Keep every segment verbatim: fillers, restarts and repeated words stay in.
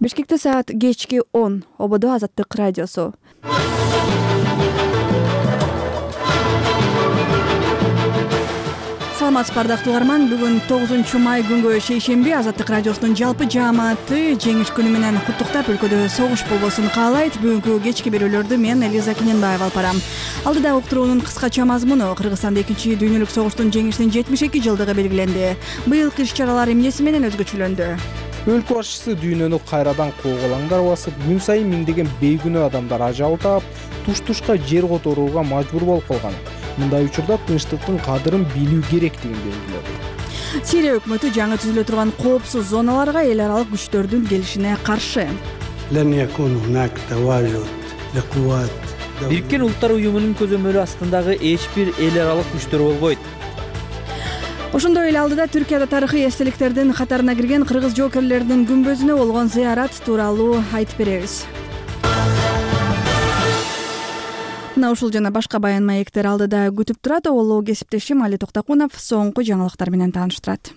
Бишкекте саат кечки он. Ободо Азаттык радиосу. Саламатсызбы ардактуу угарман. Бүгүн тогузунчу май күнгө шейшемби Азаттык радиосунун жалпы жааматы жеңиш күнү менен куттуктап өлкөдө согуш болбосун каалайт. Бүгүнкү кечки берүүлөрдү мен Элиза Кененбаева алып барам. Алдыда уктуруунун кыскача мазмуну: Кыргызстанда экинчи дүйнөлүк согуштун жеңишинин жетимиш эки жылдыгы белгиленди. Быйылкы иш-чаралар эмнеси менен өзгөчөлөндү? Өлкө башчысы дүйнөнү кайрадан куугалаңдар басып, күн сайын миңдеген бейгүнөө адамдар ажал таап, туш-тушка жер которууга мажбур болуп калган. Мындай учурда тынчтыктын кадырын билүү керектигин белгиледи. Сирия өкмөтү жаңы түзүлө турган коопсуз зоналарга эл аралык күчтөрдүн келишине каршы. Бириккен Улуттар уюмунун көзөмөлү астындагы эч бир эл аралык күчтөр болбойт. Ошондой эле алдыда Түркияда тарыхый эстеликтердин катарына кирген кыргыз жоокерлеринин күмбөзүнө болгон зыярат тууралуу айтып беребиз. Мына ушул жана башка баян маектер алдыда күтүп турат. Олоо кесиптешим Али Токтокунов соңку жаңылыктар менен тааныштырат.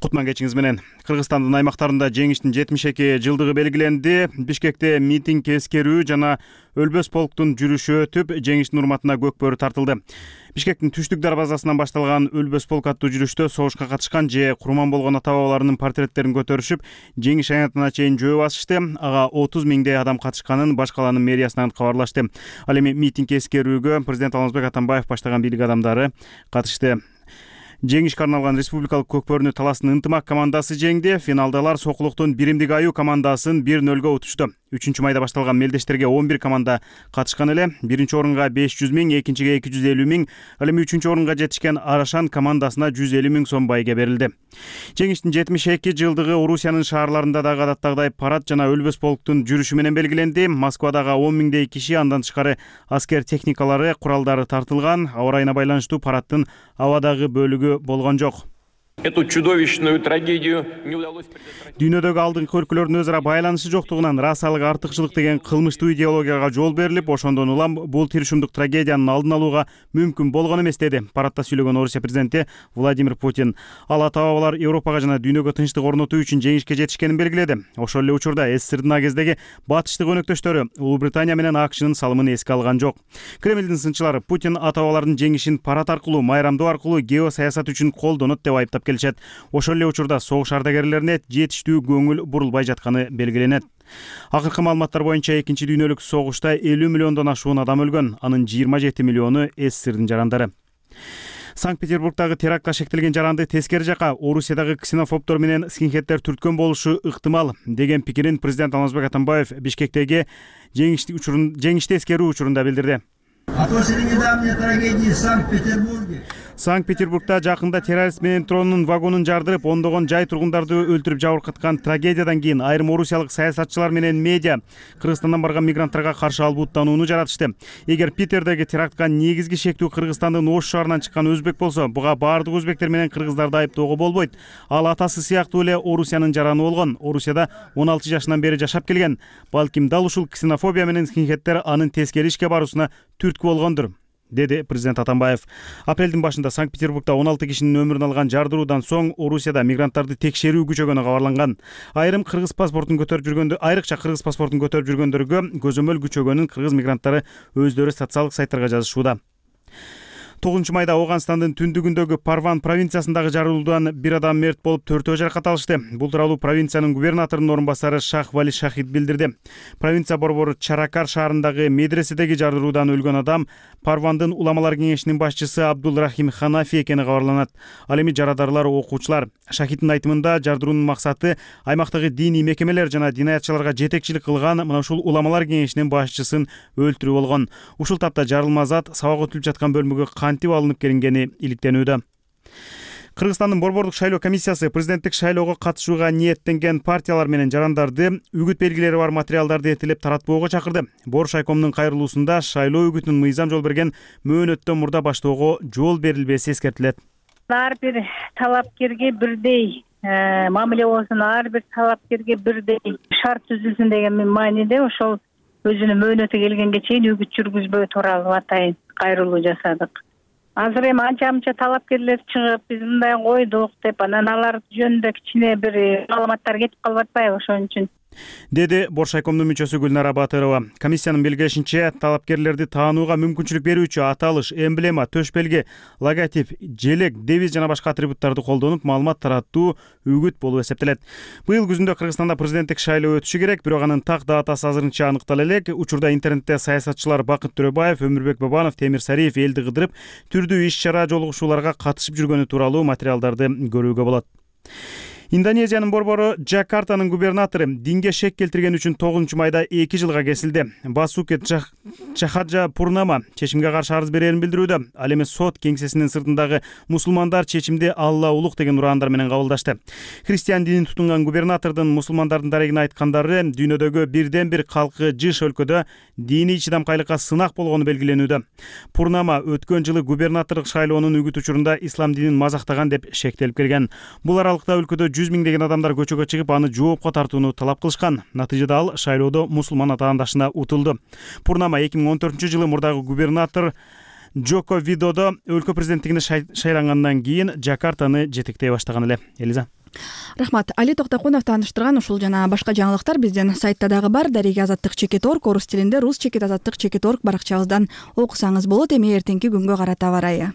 Кутман кечиңиз менен. Кыргызстандын аймактарында жеңиштин жетимиш эки жылдыгы белгиленди. Бишкекте митинг, эскерүү жана өлбөс полктун жүрүшү өтүп, жеңиштин урматына көк бөрү тартылды. Бишкектин түштүк дарбазасынан башталган өлбөс полк аттуу жүрүштө согушка катышкан же курман болгон ата-бабаларынын портреттерин көтөрүшүп, жеңиш аянтына чейин жөө басышты. Ага отуз миңдей адам катышканын баш калаанын мэриясынан кабарлашты. Ал эми митинг, эскерүүгө президент Алмазбек Атамбаев баштаган бийлик адамдары катышты. Жеңишке арналган республикалык көкбөрүнү таласын ынтымак командасы жеңди. Финалдалар Сокулуктун биримдик аю командасын бир нөлгө утушту. үчүнчү майда башталган мелдештерге он бир команда катышкан эле. Биринчи орунга беш жүз миң, экинчиге эки жүз элүү миң, ал эми үчүнчү орунга жетишкен Арашан командасына жүз элүү миң сом байге берилди. Жеңиштин жетимиш эки жылдыгы Орусиянын шаарларында дагы адаттагыдай парад жана өлбөс полктун жүрүшү менен белгиленди. Москвадагы он миңдей киши, андан тышкары аскер техникалары, куралдары тартылган. Аба ырайына байланыштуу параддын абадагы бөлүгү болгон жок. Эту чудовищную трагедию не удалось предотвратить. Дүйнөдөгү алдыңкы өлкөлөрдүн өз ара байланышы жоктугунан расалык, артыкчылык деген кылмыштуу идеологияга жол берилип, ошондон улам бул тиршумдук трагедиянын алдын алууга мүмкүн болгон эмес деди парадта сүйлөгөн Орусия президенти Владимир Путин. Ал ата-бабалар Европага жана дүйнөгө тынчтык орнотуу үчүн жеңишке жетишкенин белгиледи. Ошол эле учурда СССРдин а кездеги батыштык өнөктөштөрү Улуу Британия менен АКШнын салымын эске алган жок. Кремлдин сынчылары Путин ата-бабалардын жеңишин парад аркылуу, майрамдоо аркылуу геосаясат үчүн колдонот деп айыптап келишет. Ошол эле учурда согуш ардагерлерине жетиштүү көңүл бурулбай жатканы белгиленет. Акыркы маалыматтар боюнча экинчи дүйнөлүк согушта элүү миллиондон ашуун адам өлгөн, анын жыйырма жети миллиону СССРдин жарандары. Санкт-Петербургдагы терактка шектелген жаранды тескери жака Орусиядагы ксенофобдор менен скинхеддер түрткөн болушу ыктымал деген пикирин президент Алмазбек Атамбаев Бишкектеги жеңишти эскерүү учурунда билдирди. После недавней трагедии в Санкт-Петербурге Санкт-Петербургда жакында террорист менен тронун вагонун жардырып, ондогон жай тургундарды өлтүрүп жабыркаткан трагедиядан кийин айрым орусиялык саясатчылар менен медиа Кыргызстандан барган мигранттарга каршы албуттанууну жаратышты. Эгер Питердеги терактка негизги шектүү Кыргызстандын Ош шаарынан чыккан өзбек болсо, буга баардык өзбектер менен кыргыздарды айыптоого болбойт. Ал атасы сыяктуу эле Орусиянын жараны болгон. Орусияда он алты жашынан бери жашап келген. Балким дал ушул ксенофобия менен скинхеддер анын тескери ишке баруусуна түрткү болгондур, деди президент Атамбаев. Апрелдин башында Санкт-Петербургда он алты кишинин өмүрүн алган жардыруудан соң Орусияда мигранттарды текшерүү күчөгөнү кабарланган. Айрым кыргыз паспортун көтөрүп жүргөндө, айрыкча кыргыз паспортун көтөрүп жүргөндөргө көзөмөл күчөгөнүн кыргыз мигранттары өздөрү социалдык сайттарга жазышууда. тогузунчу майда Ооганстандын түндүгүндөгү Парван провинциясындагы жарылуудан бир адам мерт болуп, төртөө жаракат алышты. Бул тууралуу провинциянын губернаторунун орун басары Шах Вали Шахид билдирди. Провинция борбору Чаракар шаарындагы медреседеги жарылуудан өлгөн адам Парвандын уламалар кеңешинин башчысы Абдул Рахим Ханафи экени кабарланат. Ал эми жарадарлар окуучулар. Шахиддин айтымында жардыруунун максаты аймактагы диний мекемелер жана динаятчыларга жетекчилик кылган мына ушул уламалар кеңешинин башчысын өлтүрүү болгон. Ушул тапта жарылма зат сабак өтүлүп жаткан бөлмөгө кантип алынып келингени иликтенүүдө. Кыргызстандын борбордук шайлоо комиссиясы президенттик шайлоого катышууга ниеттенген партиялар менен жарандарды үгүт белгилери бар материалдарды эртелеп таратпоого чакырды. Бош айкомдун кайрылуусунда шайлоо үгүтүн мыйзам жол берген мөөнөттөн мурда баштоого жол берилбеси эскертилет. Ар бир талапкерге бирдей мамиле болсун, ар бир талапкерге бирдей шарт түзүлсүн деген мааниде ошол өзүнүн мөөнөтү келгенге чейин үгүт жүргүзбөө тууралуу атайын кайрылуу жасадык. Азыр эми анча мынча талапкерлер чыгып, биз мындай койдук деп, анан алар жөнүндө кичине бир маалыматтар кетип калып атпайбы, ошон үчүн. деди Боршайкомдун мүчөсү Гүлнара Батырова. Комиссиянын белгилешинче, талапкерлерди таанууга мүмкүнчүлүк берүүчү аталыш, эмблема, төш белги, логотип, желек, девиз жана башка атрибуттарды колдонуп маалымат таратуу үгүт болуп эсептелет. Быйыл күзүндө Кыргызстанда президенттик шайлоо өтүшү керек, бирок анын так датасы азырынча аныктала элек. Учурда интернетте саясатчылар Бакыт Төрөбаев, Өмүрбек Бабанов, Темир Сариев элди кыдырып, түрдүү иш-чара, жолугушууларга катышып жүргөнү тууралуу материалдарды көрүүгө болот. Индонезиянын борбору Жакартанын губернатору динге шек келтирген үчүн тогузунчу майда эки жылга кесилди. Басуке Чахаджа Пурнама чечимге каршы арыз берерин билдирүүдө. Ал эми сот кеңсесинин сыртындагы мусулмандар чечимди Алла улук деген ураандар менен кабылдашты. Христиан динин тутунган губернатордун мусулмандардын дарегине айткандары дүйнөдөгү бирден бир калкы жыш өлкөдө диний чыдамкайлыкка сынак болгону белгиленүүдө. Пурнама өткөн жылы губернаторлук шайлоонун үгүт учурунда ислам динин мазактаган деп шектелип келген. Бул аралыкта өлкөдө жүз миңдеген адамдар көчөгө чыгып, аны жоопко тартууну талап кылышкан. Натыйжада ал шайлоодо мусулман атаандашына утулду. Пурнама эки миң он төртүнчү жылы мурдагы губернатор Джоко Видодо өлкө президенттигине шайлангандан кийин Жакартаны жетектей баштаган эле. Элиза. Рахмат. Али Токтокунов тааныштырган ушул жана башка жаңылыктар биздин сайтта дагы бар. Дареги азаттык чекит орг орус тилинде рус чекит азаттык чекит орг баракчабыздан окусаңыз болот. Эми эртеңки күнгө карата аба ырайы.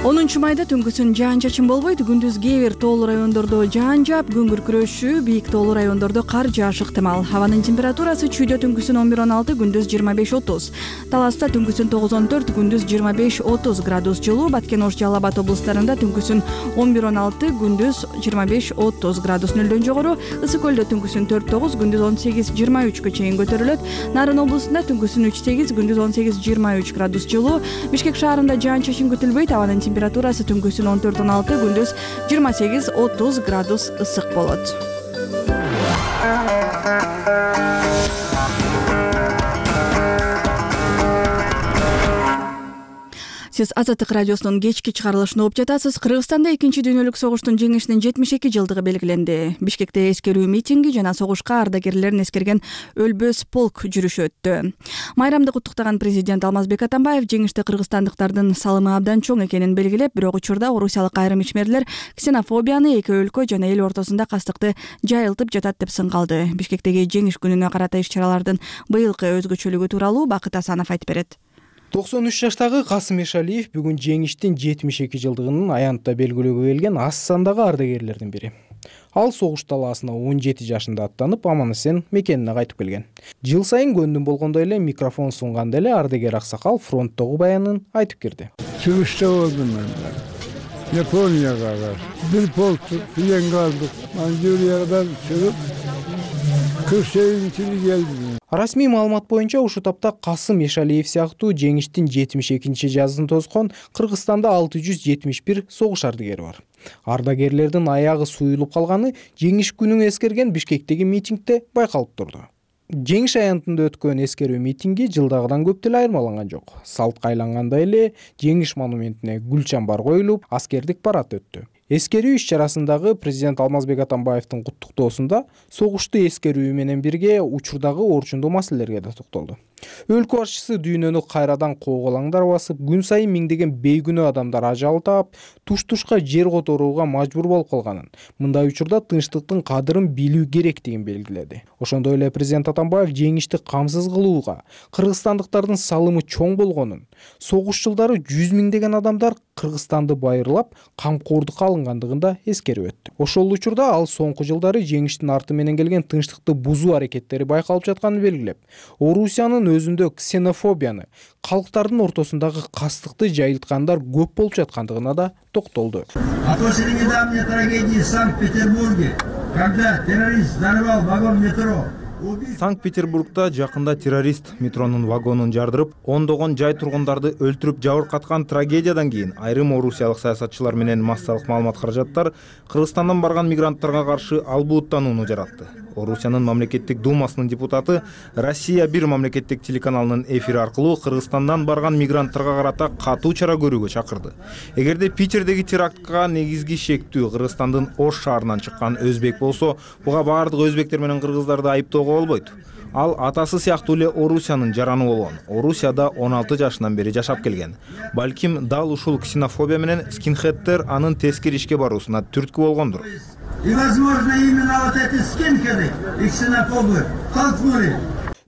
онунчу майда түнгүсүн жаан чачын болбойт. Күндүз кээ бир тоолуу райондордо жаан жаап, күн күркүрөшүү, бийик тоолуу райондордо кар жаашы ыктымал. Хабанын температурасы чүйдө түнгүсүн он бир он алты, күндүз жыйырма беш отуз. Таласта түнгүсүн тогуз он төрт, күндүз жыйырма беш отуз градус жылуу. Баткен, Ош, Жалал Абад облустарында түнгүсүн он бир он алты, күндүз жыйырма беш отуз градус. Нөлдөн жогору Ысык көлдө түнгүсүн төрт тогуз, күндүз он сегиз жыйырма үчкө чейин көтөрүлөт. Нарын облусунда түнгүсүн үч сегиз, күндүз он сегиз жыйырма үч градус жылуу. Бишкек шаарында жаан чачын күтүлбөйт. Абанын температурасы түнгүсүн он төрт он алты, күндүз жыйырма сегиз отуз градус ысык болот. Сиз Азаттык радиосунун кечки чыгарылышын угуп жатасыз. Кыргызстанда экинчи дүйнөлүк согуштун жеңишинин жетимиш эки жылдыгы белгиленди. Бишкекте эскерүү митинги жана согушка ардагерлерин эскерген өлбөс полк жүрүшү өттү. Майрамды куттуктаган президент Алмазбек Атамбаев жеңиште кыргызстандыктардын салымы абдан чоң экенин белгилеп, бирок учурда орусиялык айрым ичмерлер ксенофобияны, эки өлкө жана эл ортосунда кастыкты жайылтып жатат деп сын калды. Бишкектеги жеңиш күнүнө карата иш-чаралардын быйылкы өзгөчөлүгү тууралуу Бакыт Асанов айтып берет. токсон үч жаштагы Касым Эшалиев бүгүн жеңиштин жетимиш эки жылдыгынын аянтта белгилөөгө келген аз сандагы ардагерлердин бири. Ал согуш талаасына он жети жашында аттанып, аман-эсен мекенине кайтып келген. Жыл сайын көндүм болгондой эле микрофон сунганда эле ардагер аксакал фронттогу баянын айтып кирди. Чыгышта болдум мен. Японияга бир полк плен алдык. Манчжуриядан чыгып кырк сегизинчи келдим. Расмий маалымат боюнча ушу тапта Касым Эшалиев сыяктуу жеңиштин жетимиш экинчи жазын тоскон Кыргызстанда алты жүз жетимиш бир согуш ардагери бар. Ардагерлердин аягы суюлуп калганы жеңиш күнүн эскерген Бишкектеги митингде байкалып турду. Жеңиш аянтында өткөн эскерүү митинги жылдагыдан көп деле айырмаланган жок. Салтка айлангандай эле жеңиш монументине гүл чамбар коюлуп, аскердик парад өттү. Эскерүү иш-чарасындагы президент Алмазбек Атамбаевдин куттуктоосунда согушту эскерүү менен бирге учурдагы орчундуу маселелерге да токтолду. Өлкө башчысы дүйнөнү кайрадан кооголаңдар басып, күн сайын миңдеген бейгүнөө адамдар ажал таап, туш-тушка жер которууга мажбур болуп калганын, мындай учурда тынчтыктын кадырын билүү керектигин белгиледи. Ошондой эле президент Атамбаев жеңишти камсыз кылууга, кыргызстандыктардын салымы чоң болгонун, согуш жылдары жүз миңдеген адамдар Кыргызстанды байырлап, камкордукка алынгандыгын да эскерип өттү. Ошол учурда ал соңку жылдары жеңиштин арты менен келген тынчтыкты бузуу аракеттери байкалып жатканын белгилеп, Орусиянын өзүндө ксенофобияны, калктардын ортосундагы кастыкты жайылткандар көп болуп жаткандыгына да токтолду. А после недавней трагедии в Санкт-Петербурге, когда террорист взорвал вагон метро, Санкт-Петербургда жакында террорист метронун вагонун жардырып, ондогон жай тургундарды өлтүрүп жабыркаткан трагедиядан кийин айрым орусиялык саясатчылар менен массалык маалымат каражаттар Кыргызстандан барган мигранттарга каршы албуттанууну жаратты. Орусиянын мамлекеттик думасынын депутаты Россия бир мамлекеттик телеканалынын эфири аркылуу Кыргызстандан барган мигранттарга карата катуу чара көрүүгө чакырды. Эгерде Питердеги терактка негизги шектүү Кыргызстандын Ош шаарынан чыккан өзбек болсо, буга баардык өзбектер менен кыргыздарды айыптоого болбойт. Ал атасы сыяктуу эле Орусиянын жараны болгон. Орусияда он алты жашынан бери жашап келген. Балким дал ушул ксенофобия менен скинхеддер анын тескери ишке баруусуна түрткү болгондур. И, возможно, именно вот эти скинхеды и ксенофобы толкнули.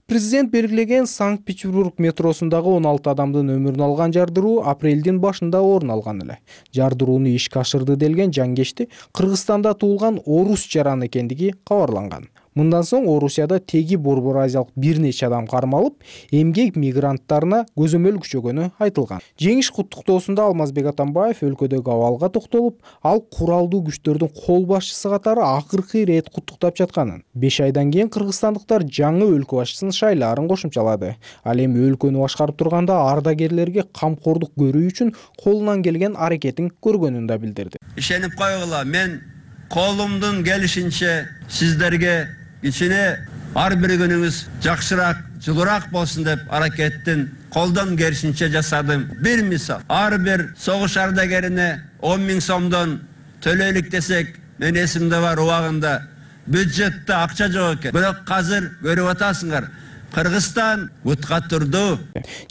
Президент белгилеген Санкт-Петербург метросундагы он алты адамдын өмүрүн алган жардыруу апрелдин башында орун алган эле. Жардырууну ишке ашырды делген жаңгешти Кыргызстанда туулган орус жараны экендиги кабарланган. Мындан соң Орусияда теги борбор азиялык бир нече адам кармалып, эмгек мигранттарына көзөмөл күчөгөнү айтылган. Жеңиш куттуктоосунда Алмазбек Атамбаев өлкөдөгү абалга токтолуп, ал куралдуу күчтөрдүн кол башчысы катары акыркы ирет куттуктап жатканын. беш айдан кийин кыргызстандыктар жаңы өлкө башчысын шайлаарын кошумчалады. Ал эми өлкөнү башкарып турганда ардагерлерге камкордук көрүү үчүн колунан келген аракетин көргөнүн да билдирди. Ишенип койгула, мен колумдун келишинче сиздерге ичине ар бир күнүңүз жакшыраак, жылуураак болсун деп аракеттин колдон келишинче жасадым. Бир мисал, ар бир согуш ардагерине он миң сомдон төлөйлүк десек, мен эсимде бар, убагында бюджетте акча жок экен. Бирок азыр көрүп атасыңар, Кыргызстан утка турду.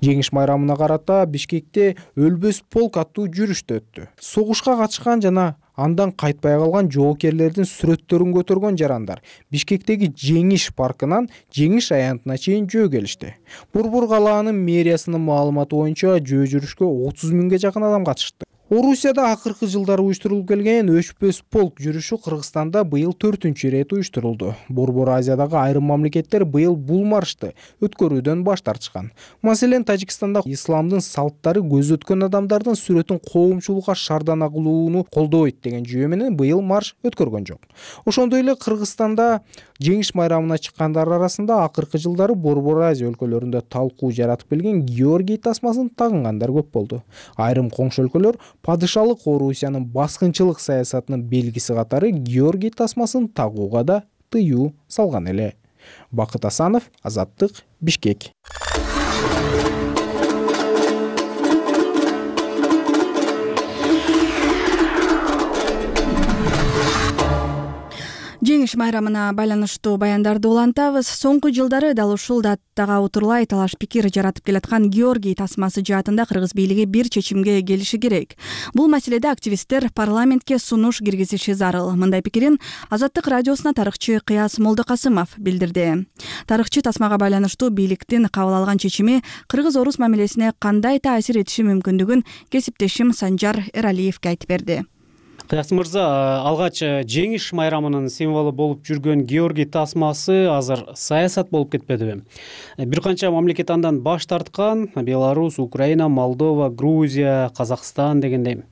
Жеңиш майрамына карата Бишкекте өлбөс полк аттуу жүрүштө өттү. Согушка катышкан жана андан кайтпай калган жоокерлердин сүрөттөрүн көтөргөн жарандар Бишкектеги Жеңиш паркынан Жеңиш аянтына чейин жөө келишти. Борбор калаанын мэриясынын маалыматы боюнча жөө жүрүшкө отуз миңге жакын адам катышты. Орусияда акыркы жылдары уюштурулуп келген өчпөс полк жүрүшү Кыргызстанда быйыл төртүнчү ирет уюштурулду. Борбор Азиядагы айрым мамлекеттер быйыл бул маршты өткөрүүдөн баш тартышкан. Маселен, Тажикстанда исламдын салттары көз өткөн адамдардын сүрөтүн коомчулукка шардана кылууну колдойт деген жүйө менен быйыл марш өткөргөн жок. Ошондой эле Кыргызстанда Жеңиш майрамына чыккандар арасында акыркы жылдары Борбор Азия өлкөлөрүндө талкуу жаратып келген Георгий тасмасын тагынгандар көп болду. Айрым коңшу өлкөлөр падышалык Орусиянын баскынчылык саясатынын белгиси катары Георгий тасмасын тагууга да тыюу салган эле. Бакыт Асанов, Азаттык, Бишкек. Жеңиш майрамына байланыштуу баяндарды улантабыз. Соңку жылдары дал ушул датага утурлай талаш пикир жаратып келаткан Георгий тасмасы жаатында кыргыз бийлиги бир чечимге келиши керек. Бул маселеде активисттер парламентке сунуш киргизиши зарыл. Мындай пикирин Азаттык радиосуна тарыхчы Кыяс Молдокасымов билдирди. Тарыхчы тасмага байланыштуу бийликтин кабыл алган чечими кыргыз-орус мамилесине кандай таасир этиши мүмкүндүгүн кесиптешим Санжар Эралиевге айтып берди. Кыяс мырза, алгач Жеңиш майрамынын символу болуп жүргөн Георгий тасмасы азыр саясат болуп кетпедиби? Бир канча мамлекет андан баш тарткан: Беларусь, Украина, Молдова, Грузия, Казакстан дегендей.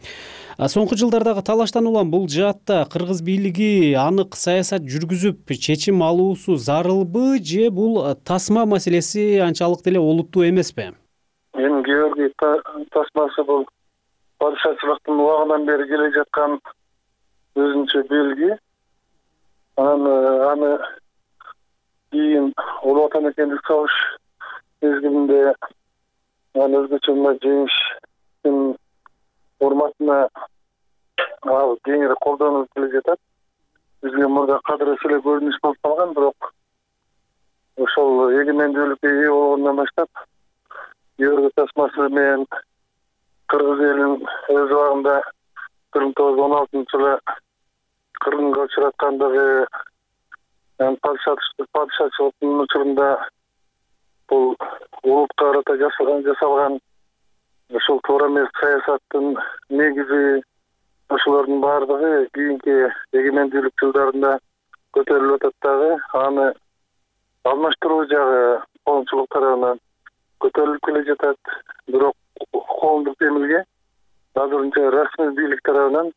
Соңку жылдардагы талаштан улам бул жаатта кыргыз бийлиги анык саясат жүргүзүп чечим алуусу зарылбы, же бул тасма маселеси анчалык деле олуттуу эмеспи? Эми Георгий тасмасы бул падышачылыктын убагынан бери келе жаткан өзүнчө белги. Аны аны кийин Улуу Отан эркиндик согуш мезгилинде аны өзгөчө мына жеңиштин урматына ал кеңири колдонуп келе жатат. Бизге мурда кадырыс эле көрүнүш болуп калган, бирок ошол эгемендүүлүккө ээ болгондон баштап Георгий тасмасы менен кыргыз элин өз убагында бир миң тогуз жүз он алтынчы жылы кыргынга учураткандыгы, падышачылыктын учурунда бул улутка карата жасалган ушул туура эмес саясаттын негизи, ошолордун баардыгы кийинки эгемендүүлүк жылдарында көтөрүлүп атат дагы. Аны алмаштыруу жагы коомчулук тарабынан көтөрүлүп келе жатат. Бирок коомдук демилге азырынча расмий бийлик тарабынан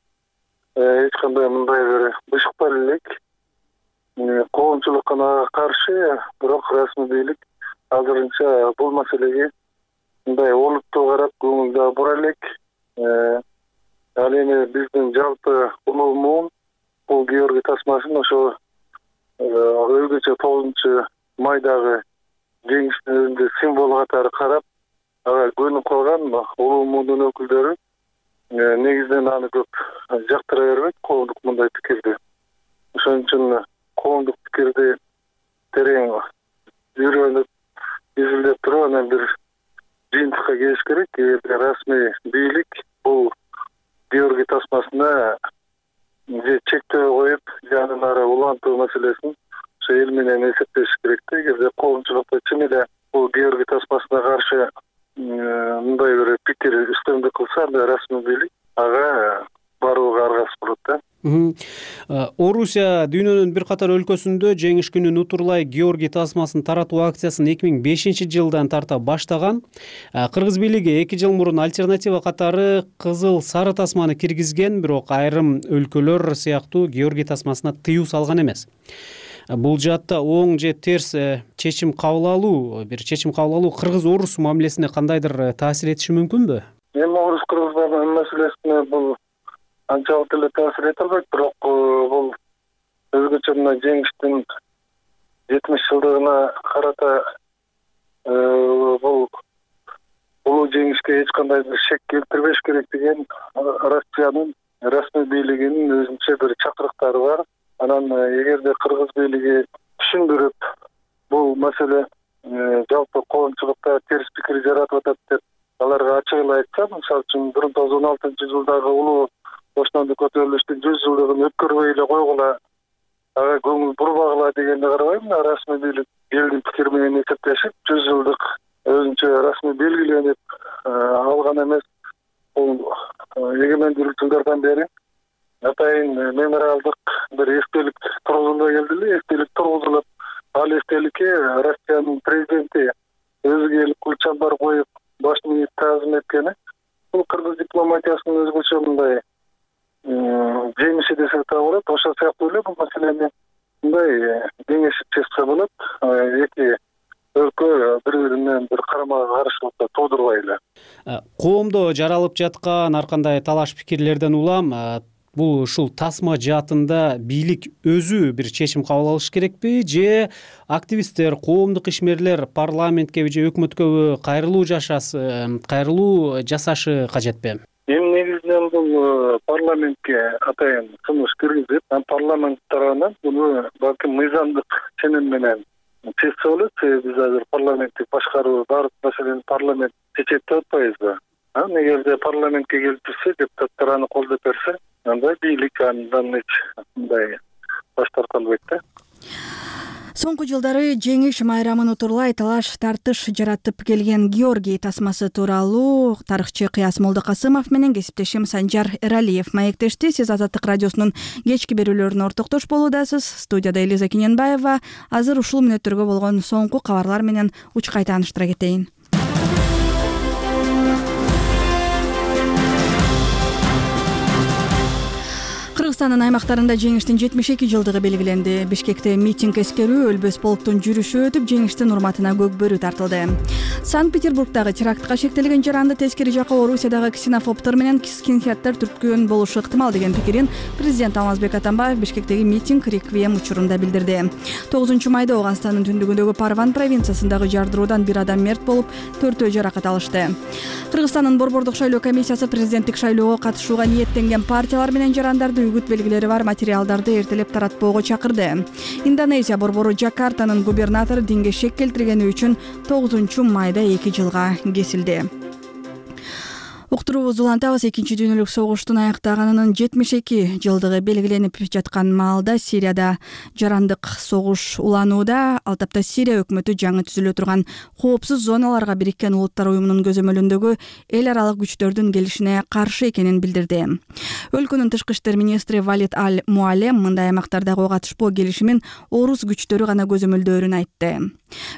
эч кандай мындай бир бышык бар элек. Коомчулукка каршы, бирок расмий бийлик азырынча бул маселеге мындай олуттуу карап көңүл бура элек. Ал эми биздин жалпы улуу муун бул Георгий тасмасын ошо өзгөчө тогузунчу майдагы жеңиштин өзүндө символ катары карап, ага көнүп калган улуу муундун өкүлдөрү негизинен аны көп жактыра бербейт, коомдук мындай пикирди. Ошон үчүн коомдук пикирди терең үйрөнүп изилдеп туруп анан бир жыйынтыкка келиш керек. Эгерде расмий бийлик бул Георгий тасмасына же чектөө коюп, же андан ары улантуу маселесин ошо эл менен эсептеш керек да. Эгерде коомчулукта чын эле бул Георгий тасмасына каршы мындай бир пикир үстөмдүк кылса, анда расмий бийлик ага барууга аргасыз болот да. Орусия дүйнөнүн бир катар өлкөсүндө жеңиш күнүн утурлай Георгий тасмасын таратуу акциясын эки миң бешинчи жылдан тарта баштаган. Кыргыз бийлиги эки жыл мурун альтернатива катары кызыл сары тасманы киргизген, бирок айрым өлкөлөр сыяктуу Георгий тасмасына тыюу салган эмес. Бул жаатта оң же терс чечим кабыл алуу, бир чечим кабыл алуу кыргыз-орус мамилесине кандайдыр таасир этиши мүмкүнбү? Эми орус-кыргыз маселесине бул анчалык эле таасир эте албайт, бирок бул өзгөчө мына жеңиштин жетимиш жылдыгына карата бул улуу жеңишке эч кандай бир шек келтирбеш керек деген Россиянын расмий бийлигинин өзүнчө бир чакырыктары бар. Анан эгерде кыргыз бийлиги түшүндүрүп, бул маселе жалпы коомчулукта терс пикир жаратып атат деп аларга ачык эле айтса, мисалы үчүн бир миң тогуз жүз он алтынчы жылдагы улуу бошондук көтөрүлүштүн жүз жылдыгын өткөрбөй эле койгула, ага көңүл бурбагыла дегенди карабайм. Расмий бийлик элдин пикири менен эсептешип, жүз жылдык өзүнчө расмий белгиленип алган эмес. Бул эгемендүүлүк жылдардан бери атайын мемориалдык бир эстелик тургузула келди эле. Эстелик тургузулуп, ал эстеликке Россиянын президенти өзү келип гүл чамбар коюп башын ийип таазим эткени бул кыргыз дипломатиясынын өзгөчө мындай жемиши десек да болот. Ошол сыяктуу эле бул маселени мындай кеңешип чечсе болот. Эки өлкө бири-бири менен бир карама каршылыкты туудурбай эле. Коомдо жаралып жаткан ар кандай талаш пикирлерден улам бул ушул тасма жаатында бийлик өзү бир чечим кабыл алыш керекпи, же активисттер, коомдук ишмерлер парламентке же өкмөткө кайрылуу жашасы, кайрылуу жасашы кажетпи? Эми негизинен бул парламентке атайын сунуш киргизип, парламент тарабынан буну балким мыйзамдык ченем менен чечсе болот. Себеби биз азыр парламенттик башкаруу баардык маселени парламент чечет деп атпайбызбы? Эгерде парламентке келип турса, депутаттар аны колдоп берсе, анда бийлик андан эч мындай баш тарта албайт да. Соңку жылдары жеңиш майрамын утурлай талаш тартыш жаратып келген Георгий тасмасы тууралуу тарыхчы Кыяс Молдокасымов менен кесиптешим Санжар Эралиев маектешти. Сиз Азаттык радиосунун кечки берүүлөрүнө ортоктош болуудасыз. Студияда Элиза Кененбаева. Азыр ушул мүнөттөргө болгон соңку кабарлар менен учкай тааныштыра кетейин. Кыргызстандын аймактарында жеңиштин жетимиш эки жылдыгы белгиленди. Бишкекте митинг эскерүү, өлбөс полктун жүрүшү өтүп, жеңиштин урматына көк бөрү тартылды. Санкт-Петербургдагы терактка шектелген жаранды тескери жакка Орусиядагы ксенофобтор менен скинхеддер түрткөн болушу ыктымал деген пикирин президент Алмазбек Атамбаев Бишкектеги митинг реквием учурунда билдирди. тогузунчу майда Ооганстандын түндүгүндөгү Парван провинциясындагы жардыруудан бир адам мерт болуп, төртөө жаракат алышты. Кыргызстандын борбордук шайлоо комиссиясы президенттик шайлоого катышууга ниеттенген партиялар менен жарандарды үгүт белгилери бар материалдарды эртелеп таратпоого чакырды. Индонезия борбору Жакартанын губернатору динге шек келтиргени үчүн тогузунчу майда эки жылга кесилди. Уктуруубузду улантабыз. Экинчи дүйнөлүк согуштун аяктаганынын жетимиш эки жылдыгы белгиленип жаткан маалда Сирияда жарандык согуш уланууда. Ал тапта Сирия өкмөтү жаңы түзүлө турган коопсуз зоналарга Бириккен Улуттар уюмунун көзөмөлүндөгү эл аралык күчтөрдүн келишине каршы экенин билдирди. Өлкөнүн тышкы иштер министри Валид Аль-Муалем мындай аймактардагы ого катышпоо келишимин орус күчтөрү гана көзөмөлдөөрүн айтты.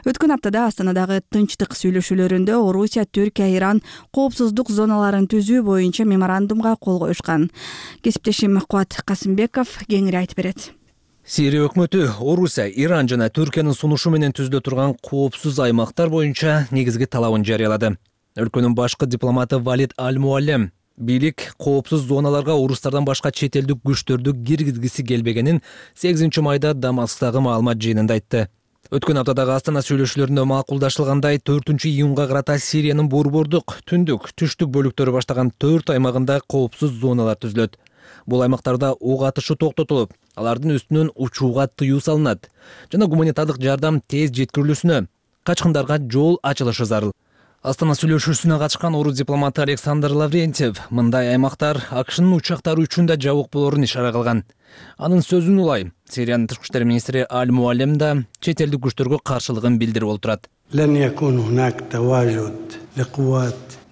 Өткөн аптада Астанадагы тынчтык сүйлөшүүлөрүндө Орусия, Түркия, Иран коопсуздук зоналарын түзүү боюнча меморандумга кол коюшкан. Кесиптешим Кубат Касымбеков кеңири айтып берет. Сирия өкмөтү Орусия, Иран жана Түркиянын сунушу менен түзүлө турган коопсуз аймактар боюнча негизги талабын жарыялады. Өлкөнүн башкы дипломаты Валид Аль-Муалем бийлик коопсуз зоналарга орустардан башка чет элдик күчтөрдү киргизгиси келбегенин сегизинчи майда Дамасктагы маалымат жыйынында айтты. Өткөн аптадагы Астана сүйлөшүүлөрүндө макулдашылгандай төртүнчү июнга карата Сириянын борбордук, түндүк, түштүк бөлүктөрү баштаган төрт аймагында коопсуз зоналар түзүлөт. Бул аймактарда ок атышы токтотулуп, алардын үстүнөн учууга тыюу салынат жана гуманитардык жардам тез жеткирилүүсүнө, качкындарга жол ачылышы зарыл. Астана сүйлөшүүсүнө катышкан орус дипломаты Александр Лаврентьев мындай аймактар АКШнын учактары үчүн да жабык болорун ишара кылган. Анын сөзүн улай Сириянын тышкы иштер министри Аль Муаллем да чет элдик күчтөргө каршылыгын билдирип отурат.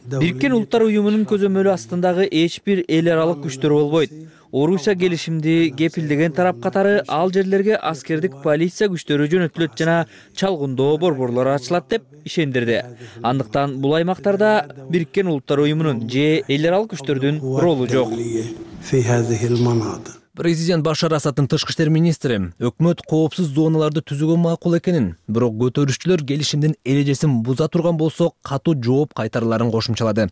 Бириккен Улуттар уюмунун көзөмөлү астындагы эч бир эл аралык күчтөр болбойт. Орусия келишимди кепилдеген тарап катары ал жерлерге аскердик полиция күчтөрү жөнөтүлөт жана чалгындоо борборлору ачылат деп ишендирди. Андыктан бул аймактарда Бириккен Улуттар уюмунун же эл аралык күчтөрдүн ролу жок. Президент Башар Асаддын тышкы иштер министри өкмөт коопсуз зоналарды түзүүгө макул экенин, бирок көтөрүүчүлөр келишимдин эрежесин буза турган болсо катуу жооп кайтарыларын кошумчалады.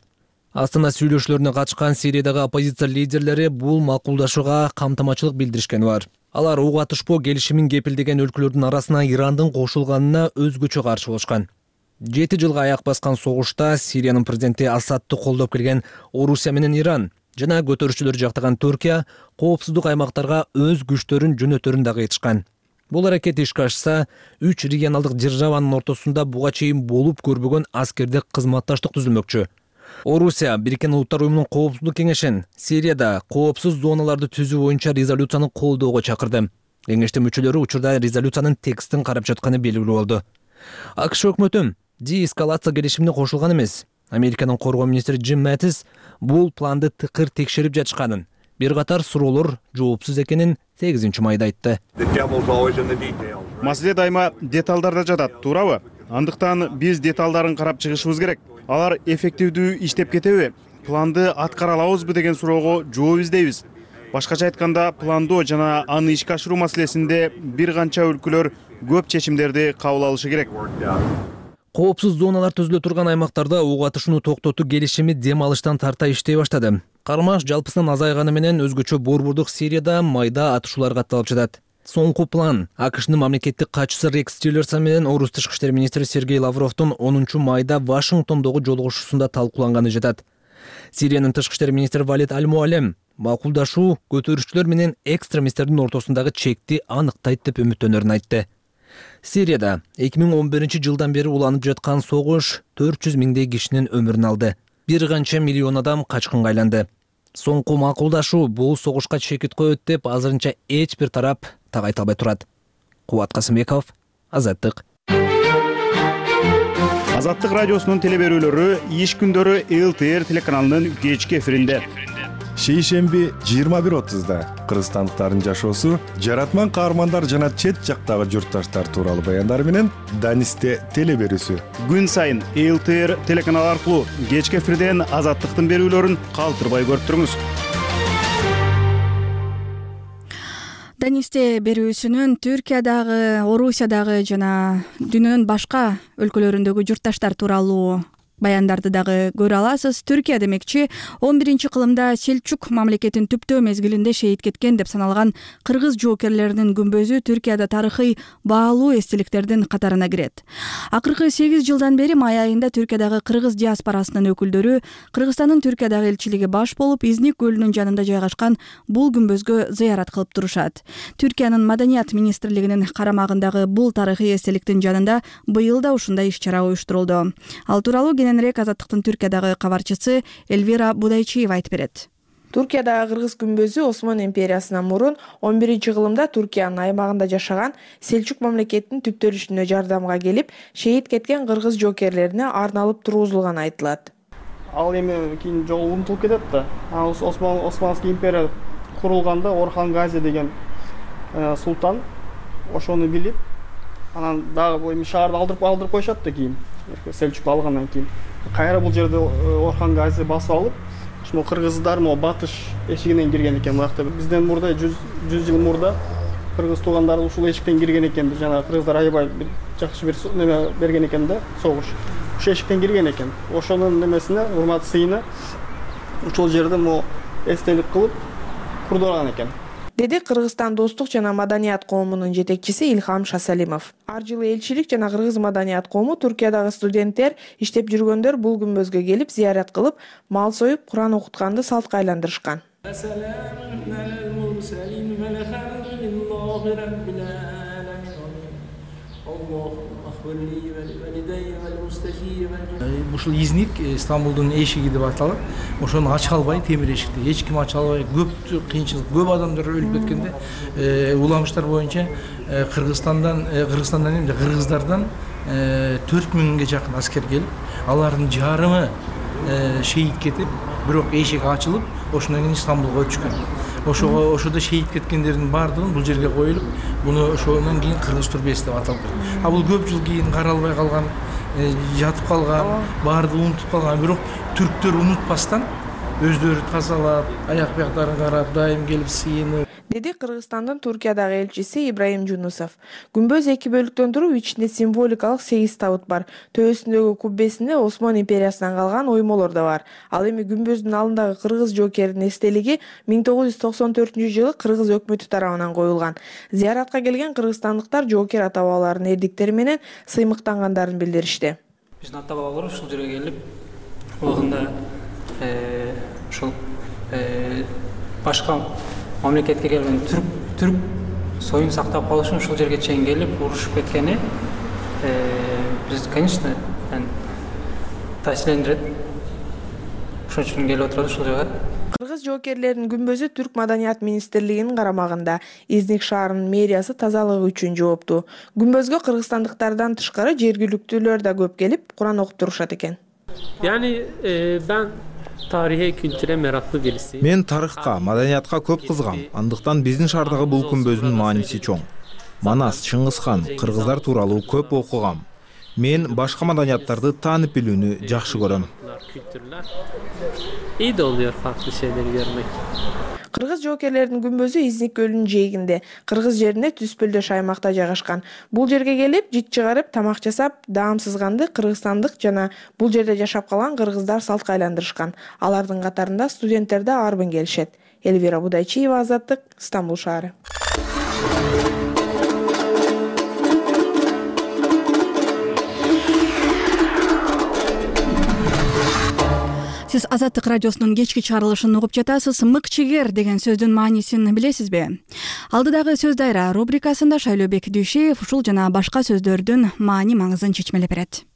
Астана сүйлөшүүлөрүнө катышкан Сириядагы оппозиция лидерлери бул макулдашууга камтамачылык билдиришкени бар. Алар уг атышпоо келишимин кепилдеген өлкөлөрдүн арасына Ирандын кошулганына өзгөчө каршы болушкан. Жети жылга аяк баскан согушта Сириянын президенти Асадты колдоп келген Орусия менен Иран жана көтөрүүчүлөр жактаган Түркия коопсуздук аймактарга өз күчтөрүн жөнөтөрүн дагы айтышкан. Бул аракет ишке ашса, үч регионалдык державанын ортосунда буга чейин болуп көрбөгөн аскердик кызматташтык түзүлмөкчү. Орусия Бириккен Улуттар уюмунун коопсуздук кеңешин Сирияда коопсуз зоналарды түзүү боюнча резолюцияны колдоого чакырды. Кеңештин мүчөлөрү учурда резолюциянын текстин карап жатканы белгилүү болду. АКШ өкмөтү деэскалация келишимине кошулган эмес. Американын коргоо министри Джим Мэтис бул планды тыкыр текшерип жатышканын, бир катар суроолор жоопсуз экенин сегизинчи майда айтты. Маселе дайыма деталдарда жатат, туурабы? Андыктан биз деталдарын карап чыгышыбыз керек. Алар эффективдүү иштеп кетеби? Планды аткара алабызбы деген суроого жооп издейбиз. Башкача айтканда, пландоо жана аны ишке ашыруу маселесинде бир канча өлкөлөр көп чечимдерди кабыл алышы керек. Коопсуз зоналар түзүлө турган аймактарда уг атышууну токтотуу келишими дем алыштан тарта иштей баштады. Кармаш жалпысынан азайганы менен өзгөчө борбордук Сирияда майда атышуулар катталып жатат. Соңку план АКШнын мамлекеттик катчысы Рекс Тиллерсон менен орус тышкы иштер министри Сергей Лавровдун онунчу майда Вашингтондогу жолугушуусунда талкууланганы жатат. Сириянын тышкы иштер министри Валид Аль Муаллем макулдашуу көтөрүүчүлөр менен экстремисттердин ортосундагы чекти аныктайт деп үмүттөнөрүн айтты. Сирияда эки миң он биринчи жылдан бери уланып жаткан согуш төрт жүз миңдей кишинин өмүрүн алды. Бир канча миллион адам качкынга айланды. Соңку макулдашуу бул согушка чекит коет деп азырынча эч бир тарап так айта албай турат. Кубат Касымбеков, Азаттык. Азаттык радиосунун телеберүүлөрү иш күндөрү эл тэ эр телеканалынын кечки эфиринде. Шейшемби жыйырма бир отузда кыргызстандыктардын жашоосу, жаратман каармандар жана чет жактагы журтташтар тууралуу баяндар менен Данисте телеберүүсү. Күн сайын эл тэ эр телеканалы аркылуу кечки эфирден Азаттыктын берүүлөрүн калтырбай көрүп туруңуз. Данисте берүүсүнүн Түркиядагы, Орусиядагы жана дүйнөнүн башка өлкөлөрүндөгү журтташтар тууралуу баяндарды дагы көрө аласыз. Түркия демекчи он биринчи кылымда Селчук мамлекетин түптөө мезгилинде шейит кеткен деп саналган кыргыз жоокерлеринин күмбөзү Түркияда тарыхый баалуу эстеликтердин катарына кирет. Акыркы сегиз жылдан бери май айында Түркиядагы кыргыз диаспорасынын өкүлдөрү Кыргызстандын Түркиядагы элчилиги баш болуп, Изник көлүнүн жанында жайгашкан бул күмбөзгө зыярат кылып турушат. Түркиянын Маданият министрлигинин карамагындагы бул тарыхый эстеликтин жанында быйыл да ушундай иш-чара уюштурулду. Ал тууралуу кененирээк Азаттыктын Түркиядагы кабарчысы Эльвира Будайчиева айтып берет. Түркиядагы кыргыз күмбөзү Осман империясынан мурун он биринчи кылымда Түркиянын аймагында жашаган Селчук мамлекетинин түптөлүшүнө жардамга келип, шейит кеткен кыргыз жоокерлерине арналып тургузулганы айтылат. Ал эми кийин жолу унутулуп кетет да. Осман Османский империя курулганда Орхан Гази деген султан ошону билип, анан дагы эми шаарды алдырып алдырып коюшат да кийин. Селчук алгандан кийин кайра бул жерде Орхан Гази басып алып, ошо кыргыздар могу батыш эшигинен кирген экен. Буякта бизден мурда жүз жыл мурда кыргыз туугандар ушул эшиктен кирген экен. Жана кыргыздар аябай жакшы бир неме берген экен да, согуш. Ошол эшиктен кирген экен. Ошонун немесине, урмат сыйына ушул жерде могу эстелик кылып курдурган экен. Деди Кыргызстан достук жана маданият коомунун жетекчиси Илхам Шасалимов. Ар жылы элчилик жана кыргыз маданият коому Түркиядагы студенттер, иштеп жүргөндөр бул күмбөзгө келип зыярат кылып, мал союп, Куран окутканды салтка айландырышкан. ушул изник Стамбулдун эшиги деп аталат. Ошону ача албай, темир эшикти эч ким ача албай, көп кыйынчылык, көп адамдар өлүп кеткенде уламыштар боюнча Кыргызстандан Кыргызстандан эмне, кыргыздардан төрт миңге жакын аскер келип, алардын жарымы шейит кетип, бирок эшик ачылып, ошондон кийин Стамбулга өтүшкөн. Ошого ошодо шейит кеткендердин баардыгын бул жерге коюлуп, буну ошондон кийин кыргыз түрбеси деп аталып. А бул көп жыл кийин каралбай калган, жатып калган, баардыгы унутуп калган, бирок түрктөр унутпастан өздөрү тазалап, аяк бияктарын карап, дайым келип сыйынып, деди Кыргызстандын Туркиядагы элчиси Ибраим Жунусов. Күмбөз эки бөлүктөн туруп, ичинде символикалык сегиз табыт бар. Төбөсүндөгү куббесинде Осман империясынан калган оймолор да бар. Ал эми күмбөздүн алдындагы кыргыз жоокеринин эстелиги миң тогуз жүз токсон төртүнчү жылы кыргыз өкмөтү тарабынан коюлган. Зияратка келген кыргызстандыктар жоокер ата бабалардын эрдиктери менен сыймыктангандарын билдиришти. Биздин ата бабалар ушул жерге келип, убагында ушул башка мамлекетке келген түрк түрк союн сактап калыш үчүн ушул жерге чейин келип урушуп кеткени биз, конечно, таасирлендирет. Ошон үчүн келип отурат ушул жерге. Кыргыз жоокерлеринин күмбөзү Түрк маданият министрлигинин карамагында. Изник шаарынын мэриясы тазалыгы үчүн жоопту. Күмбөзгө кыргызстандыктардан тышкары жергиликтүүлөр да көп келип, Куран окуп турушат экен. Yani e, ben tarihe, kültüre meraklı birisiyim. Мен тарыхка, маданиятка көп кызгам. Андыктан биздин шаардагы бул күмбөздүн мааниси чоң. Манас, Чыңгызхан, кыргыздар тууралуу көп окугам. Мен башка маданияттарды таанып билүүнү жакшы көрөм. Kültürler. İyi de oluyor farklı şeyleri görmek. Кыргыз жоокерлеринин күмбөзү Изник көлүнүн жээгинде, кыргыз жеринде түспөлдөш аймакта жайгашкан. Бул жерге келип, жит чыгарып, тамак жасап, даам сызганды кыргызстандык жана бул жерде жашап калган кыргыздар салтка айландырышкан. Алардын катарында студенттер да арбын келишет. Элвира Будайчиева, Азаттык, Стамбул шаары. Сиз Азаттык радиосунун кечки чыгарылышын угуп жатасыз. Мыкчыгер деген сөздүн маанисин билесизби? Алдыдагы сөз дайра рубрикасында Шайлообек Дүйшеев ушул жана башка сөздөрдүн маани маңызын чечмелеп берет.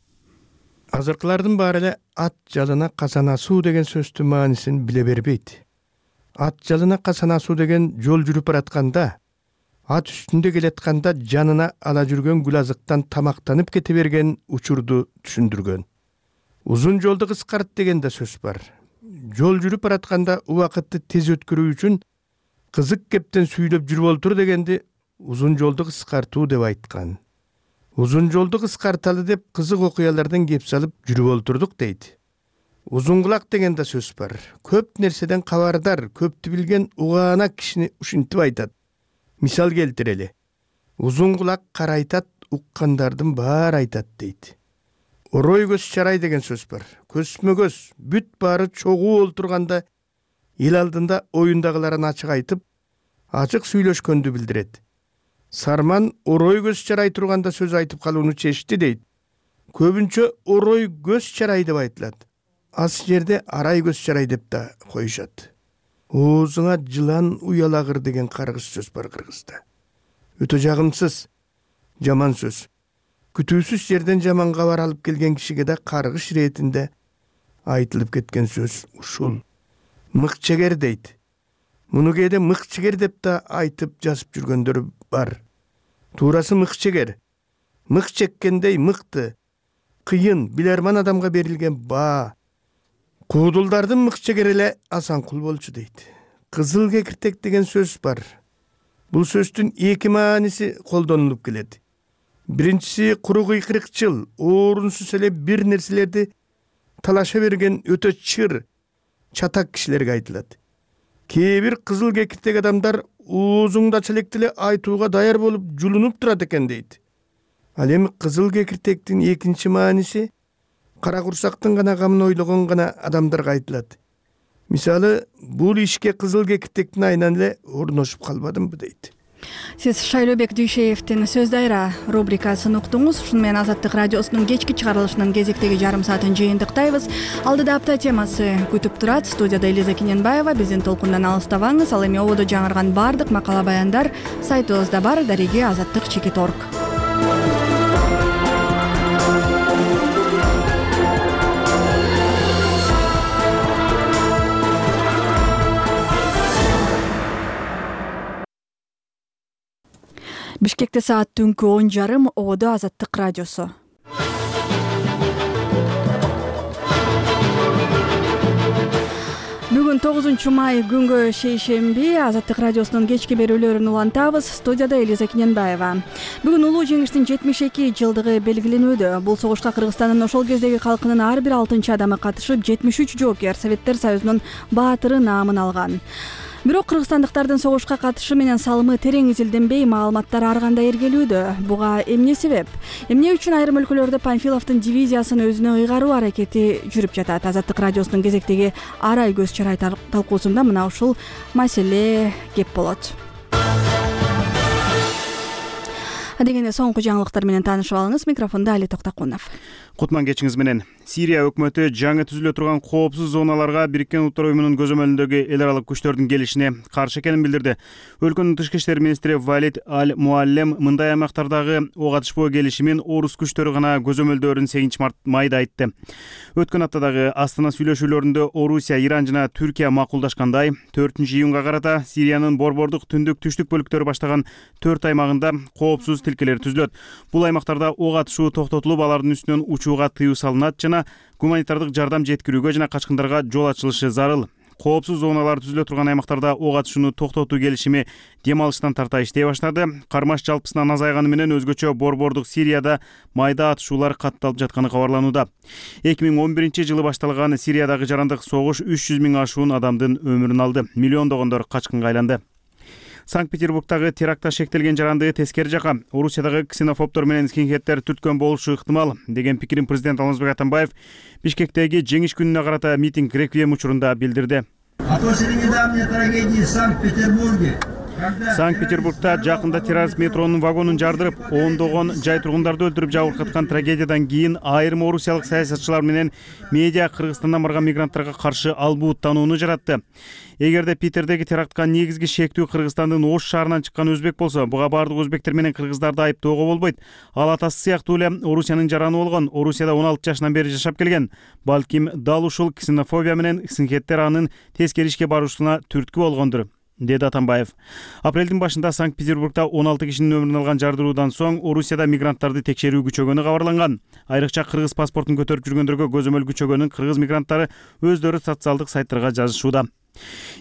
Азыркылардын баары эле ат жалына казанасуу деген сөздүн маанисин биле бербейт. Ат жалына казанасуу деген жол жүрүп баратканда, ат үстүндө келатканда жанына ала жүргөн гүл азыктан тамактанып кете берген учурду түшүндүргөн. Узун жолду кыскарт деген да сөз бар. Жол жүрүп баратканда убакытты тез өткөрүү үчүн кызык кептен сүйлөп жүрүп олтур дегенди узун жолду кыскартуу деп айткан. Узун жолду кыскарталы деп кызык окуялардан кеп салып жүрүп олтурдук дейт. Узун кулак деген да сөз бар. Көп нерседен кабардар, көптү билген угаанак кишини ушинтип айтат. Мисал келтирели. Узун кулак карайтат, уккандардын баары айтат дейт. Орой көз чарай деген сөз бар. Көзмө көз, бүт баары чогуу олтурганда эл алдында оюндагыларын ачык айтып, ачык сүйлөшкөндү билдирет. Сарман орой көз чарай турганда сөз айтып калууну чечти дейт. Көбүнчө орой көз чарай деп айтылат. Аз жерде арай көз чарай деп да коюшат. Оозуңа жылан уялагыр деген каргыш сөз бар кыргызда. Өтө жагымсыз, жаман сөз. Күтүүсүз жерден жаман кабар алып келген кишиге да каргыш иретинде айтылып кеткен сөз ушул. Мыкчыгер дейт. Муну кээде мыкчыгер деп да айтып жазып жүргөндөр бар. Туурасы мыкчыгер. Мык чеккендей мыкты, кыйын, билерман адамга берилген баа. Куудулдардын мыкчыгери эле Асанкул болчу дейт. Кызыл кекиртек деген сөз бар. Бул сөздүн эки мааниси колдонулуп келет. Биринчиси куру кыйкырыкчыл, орунсуз эле бир нерселерди талаша берген өтө чыр, чатак кишилерге айтылат. Кээ бир кызыл кекиртек адамдар оозуңдача электе эле айтууга даяр болуп жулунуп турат экен дейт. Ал эми кызыл кекиртектин экинчи мааниси кара курсактын гана камын ойлогон гана адамдарга айтылат. Мисалы, бул ишке кызыл кекиртектин айынан эле орношуп калбадымбы дейт. Сиз Шайлообек Дүйшеевдин сөз дайра рубрикасын уктуңуз. Ушуну менен Азаттык радиосунун кечки чыгарылышынын кезектеги жарым саатын жыйынтыктайбыз. Алдыда апта темасы күтүп турат. Студияда Элиза Кененбаева. Биздин толкундан алыстабаңыз. Ал эми ободо жаңырган бардык макала баяндар сайтыбызда бар. Дареги азаттык чекит точка орг. Бишкекте саат түнкү он жарым, Ободо Азаттык радиосу. Бүгүн тогузунчу май күнгө шейшемби, Азаттык радиосунун кечки берүүлөрүн улантабыз. Студияда Элиза Киненбаева. Бүгүн улуу жеңиштин жетимиш эки жылдыгы белгиленүүдө. Бул согушка Кыргызстандын ошол кездеги калкынын ар бир алтынчы адамы катышып, жетимиш үч жоокер Советтер Союзунун баатыры наамын алган. Бирок кыргызстандыктардын согушка катышы менен салымы терең изилденбей, маалыматтар ар кандай эргелүүдө. Буга эмне себеп? Эмне үчүн айрым өлкөлөрдө Панфиловдун дивизиясын өзүнө ыйгаруу аракети жүрүп жатат? Азаттык радиосунун кезектеги Арай көз чарай талкуусунда мына ушул маселе кеп болот. Адегенде соңку жаңылыктар менен таанышып алыңыз. Микрофондо Али Токтокунов. Кутман кечиңиз менен. Сирия өкмөтү жаңы түзүлө турган коопсуз зоналарга Бириккен Улуттар уюмунун көзөмөлүндөгү эл аралык күчтөрдүн келишине каршы экенин билдирди. Өлкөнүн тышкы иштер министри Валид Аль-Муаллем мындай аймактардагы ок атышпоо келишимин орус күчтөрү гана көзөмөлдөөрүн сегизинчи майда айтты. Өткөн аптадагы Астана сүйлөшүүлөрүндө Орусия, Иран жана Түркия макулдашкандай, төртүнчү июнга карата Сириянын борбордук түндүк түштүк бөлүктөрү баштаган төрт аймагында коопсуз тилкелер түзүлөт. Бул аймактарда ок атышуу токтотулуп, алардын үстүнөн учууга тыюу салынат жана гуманитардык жардам жеткирүүгө жана качкындарга жол ачылышы зарыл. Коопсуз зоналар түзүлө турган аймактарда ок атышууну токтотуу келишими дем алыштан тарта иштей баштады. Кармаш жалпысынан азайганы менен өзгөчө борбордук Сирияда майда атышуулар катталып жатканы кабарланууда. эки миң он биринчи жылы башталган Сириядагы жарандык согуш үч жүз миң ашуун адамдын өмүрүн алды. Миллиондогондор качкынга айланды. Санкт-Петербургдагы терактта шектелген жаранды тескери жака Орусиядагы ксенофобдор менен скинхеддер түрткөн болушу ыктымал деген пикирин президент Алмазбек Атамбаев Бишкектеги жеңиш күнүнө карата митинг реквием учурунда билдирди. Санкт-Петербургда жакында террорист метронун вагонун жардырып, ондогон жай тургундарды өлтүрүп жабыркаткан трагедиядан кийин айрым орусиялык саясатчылар менен медиа Кыргызстандан барган мигранттарга каршы албуттанууну жаратты. Эгерде Питердеги терактка негизги шектүү Кыргызстандын Ош шаарынан чыккан өзбек болсо, буга бардык өзбектер менен кыргыздарды айыптоого болбойт. Ал атасы сыяктуу эле Орусиянын жараны болгон, Орусияда он алты жашынан бери жашап келген. Балким дал ушул ксенофобия менен скинхеддер анын тескери ишке баруусуна түрткү болгондур, деди Атамбаев. Апрелдин башында Санкт-Петербургда он алты кишинин өмүрүн алган жардыруудан соң Орусияда мигранттарды текшерүү күчөгөнү кабарланган. Айрыкча кыргыз паспортун көтөрүп жүргөндөргө көзөмөл күчөгөнүн кыргыз мигранттары өздөрү социалдык сайттарга жазышууда.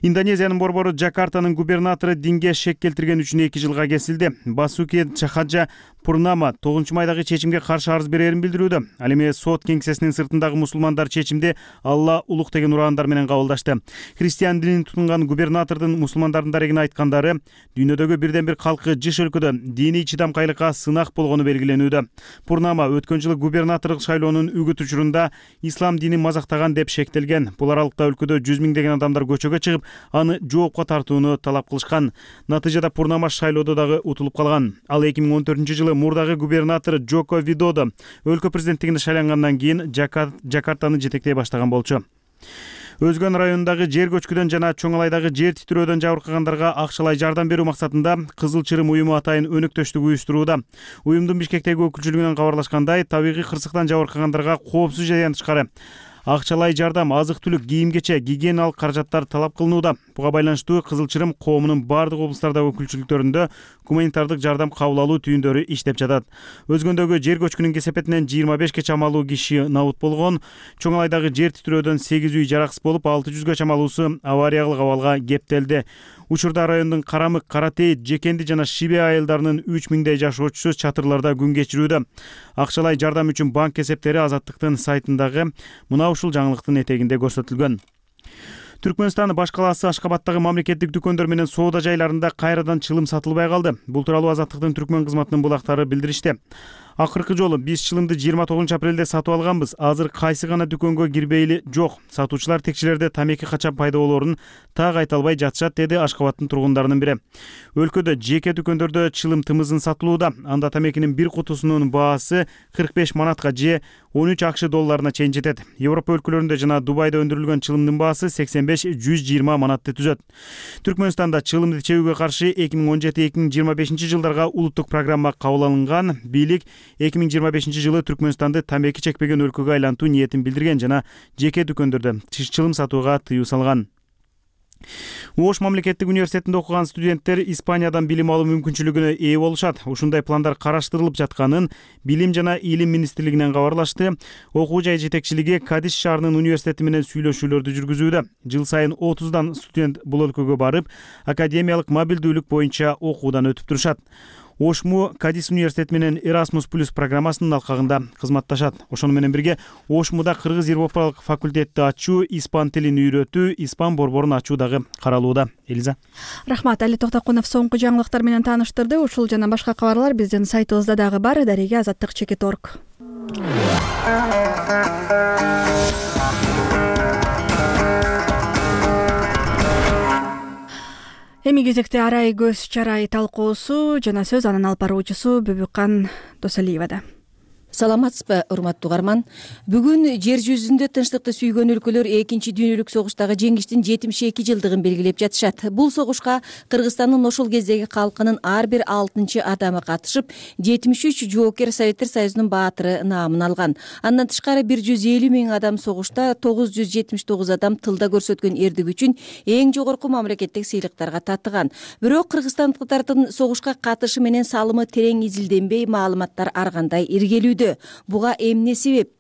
Индонезиянын борбору Джакартанын губернатору динге шек келтирген үчүн эки жылга кесилди. Басуки Чахаджа Пурнама тогузунчу майдагы чечимге каршы арыз берерин билдирүүдө. Ал эми сот кеңсесинин сыртындагы мусулмандар чечимди Алла улук деген ураандар менен кабылдашты. Христиан динин тутунган губернатордун мусулмандардын дарегине айткандары, дүйнөдөгү бирден бир калкы жыш өлкөдө диний чыдамкайлыкка сынак болгону белгиленүүдө. Пурнама өткөн жылы губернаторлук шайлоонун үгүт учурунда ислам динин мазактаган деп шектелген. Бул аралыкта өлкөдө жүз миңдеген адамдар көчөгө чыгып, аны жоопко тартууну талап кылышкан. Натыйжада Пурнама шайлоодо дагы утулуп калган. Ал эки миң он төртүнчү жылы мурдагы губернатор Джоко Видодо өлкө президенттигине шайлангандан кийин Джакартаны жетектей баштаган болчу. Өзгөн районундагы жер көчкүдөн жана Чоңалайдагы жер титирөөдөн жабыркагандарга акчалай жардам берүү максатында Кызыл Чырым уюму атайын өнөктөштүк уюштурууда. Уюмдун Бишкектеги өкүлчүлүгүнөн кабарлашкандай, табигый кырсыктан жабыркагандарга коопсуз жайдан тышкары акчалай жардам, азык-түлүк, кийим-кече, гигиеналык каражаттар талап кылынууда. Буга байланыштуу Кызыл Чырым коомунун бардык облустардагы өкүлчүлүктөрүндө гуманитардык жардам кабыл алуу түйүндөрү иштеп жатат. Өзгөндөгү жер көчкүнүн кесепетинен жыйырма бешке чамалуу киши набут болгон. Чоңалайдагы жер титирөөдөн сегиз үй жараксыз болуп, алты жүзгө чамалуусу авариялык абалга кептелди. Учурда райондун Карамык, Каратейит, Жекенди жана Шибе айылдарынын үч миңдей жашоочусу чатырларда күн кечирүүдө. Акчалай жардам үчүн банк кесептери Азаттыктын сайтындагы мына ушул жаңылыктын этегинде көрсөтүлгөн. Түркмөнстандын баш калаасы Ашкабадтагы мамлекеттик дүкөндөр менен соода жайларында кайрадан чылым сатылбай калды. Бул тууралуу Азаттыктын Түркмөн кызматынын булактары билдиришти. Акыркы жолу биз чылымды жыйырма тогузунчу апрелде сатып алганбыз. Азыр кайсы гана дүкөнгө кирбейли жок. Сатуучулар текчелерде тамеки качан пайда болоорун так айта албай жатышат, деди Ашкабадтын тургундарынын бири. Өлкөдө жеке дүкөндөрдө чылым тымызын сатылууда. Анда тамекинин бир кутусунун баасы кырк беш манатка же он үч акш долларына чейин жетет. Европа өлкөлөрүндө жана Дубайда өндүрүлгөн чылымдын баасы сексен беш жүз жыйырма манатты түзөт. Түркмөнстанда чылымды чегүүгө каршы эки миң он жети эки миң жыйырма бешинчи жылдарга улуттук программа кабыл алынган. Бийлик эки миң жыйырма бешинчи жылы Түркмөнстанды тамеки чекпеген өлкөгө айлантуу ниетин билдирген жана жеке дүкөндөрдө чылым сатууга тыюу салган. Ош мамлекеттик университетинде окуган студенттер Испаниядан билим алуу мүмкүнчүлүгүнө ээ болушат. Ушундай пландар караштырылып жатканын Билим жана Илим министрлигинен кабарлашты. Окуу жай жетекчилиги Кадис шаарынын университети менен сүйлөшүүлөрдү жүргүзүүдө. Жыл сайын отуздан студент бул өлкөгө барып, академиялык мобилдүүлүк боюнча окуудан өтүп турушат. Ошму Кадис университети менен Erasmus Plus программасынын алкагында кызматташат. Ошону менен бирге Ошмуда кыргыз европалык факультетти ачуу, испан тилин үйрөтүү, испан борборун ачуу дагы каралууда. Элиза. Рахмат. Али Токтокунов соңку жаңылыктар менен тааныштырды. Ушул жана башка кабарлар биздин сайтыбызда дагы бар. Дареге азаттык чекит точка орг. Эми кезекте арай көз чарай талкуусу жана сөз анын алып баруучусу Бүбүккан Досалиевада. Саламатсызбы, урматтуу угарман. Бүгүн жер жүзүндө тынчтыкты сүйгөн өлкөлөр экинчи дүйнөлүк согуштагы жеңиштин жетимиш эки жылдыгын белгилеп жатышат. Бул согушка Кыргызстандын ошол кездеги калкынын ар бир алтынчы адамы катышып, жетимиш үч жоокер Советтер Союзунун баатыры наамын алган. Андан тышкары бир жүз элүү миң адам согушта, тогуз жүз жетимиш тогуз адам тылда көрсөткөн эрдик үчүн эң жогорку мамлекеттик сыйлыктарга татыган. Бирок кыргызстандыктардын согушка катышы менен салымы терең изилденбей, маалыматтар ар кандай иргелүүдө. Буга эмне себеп?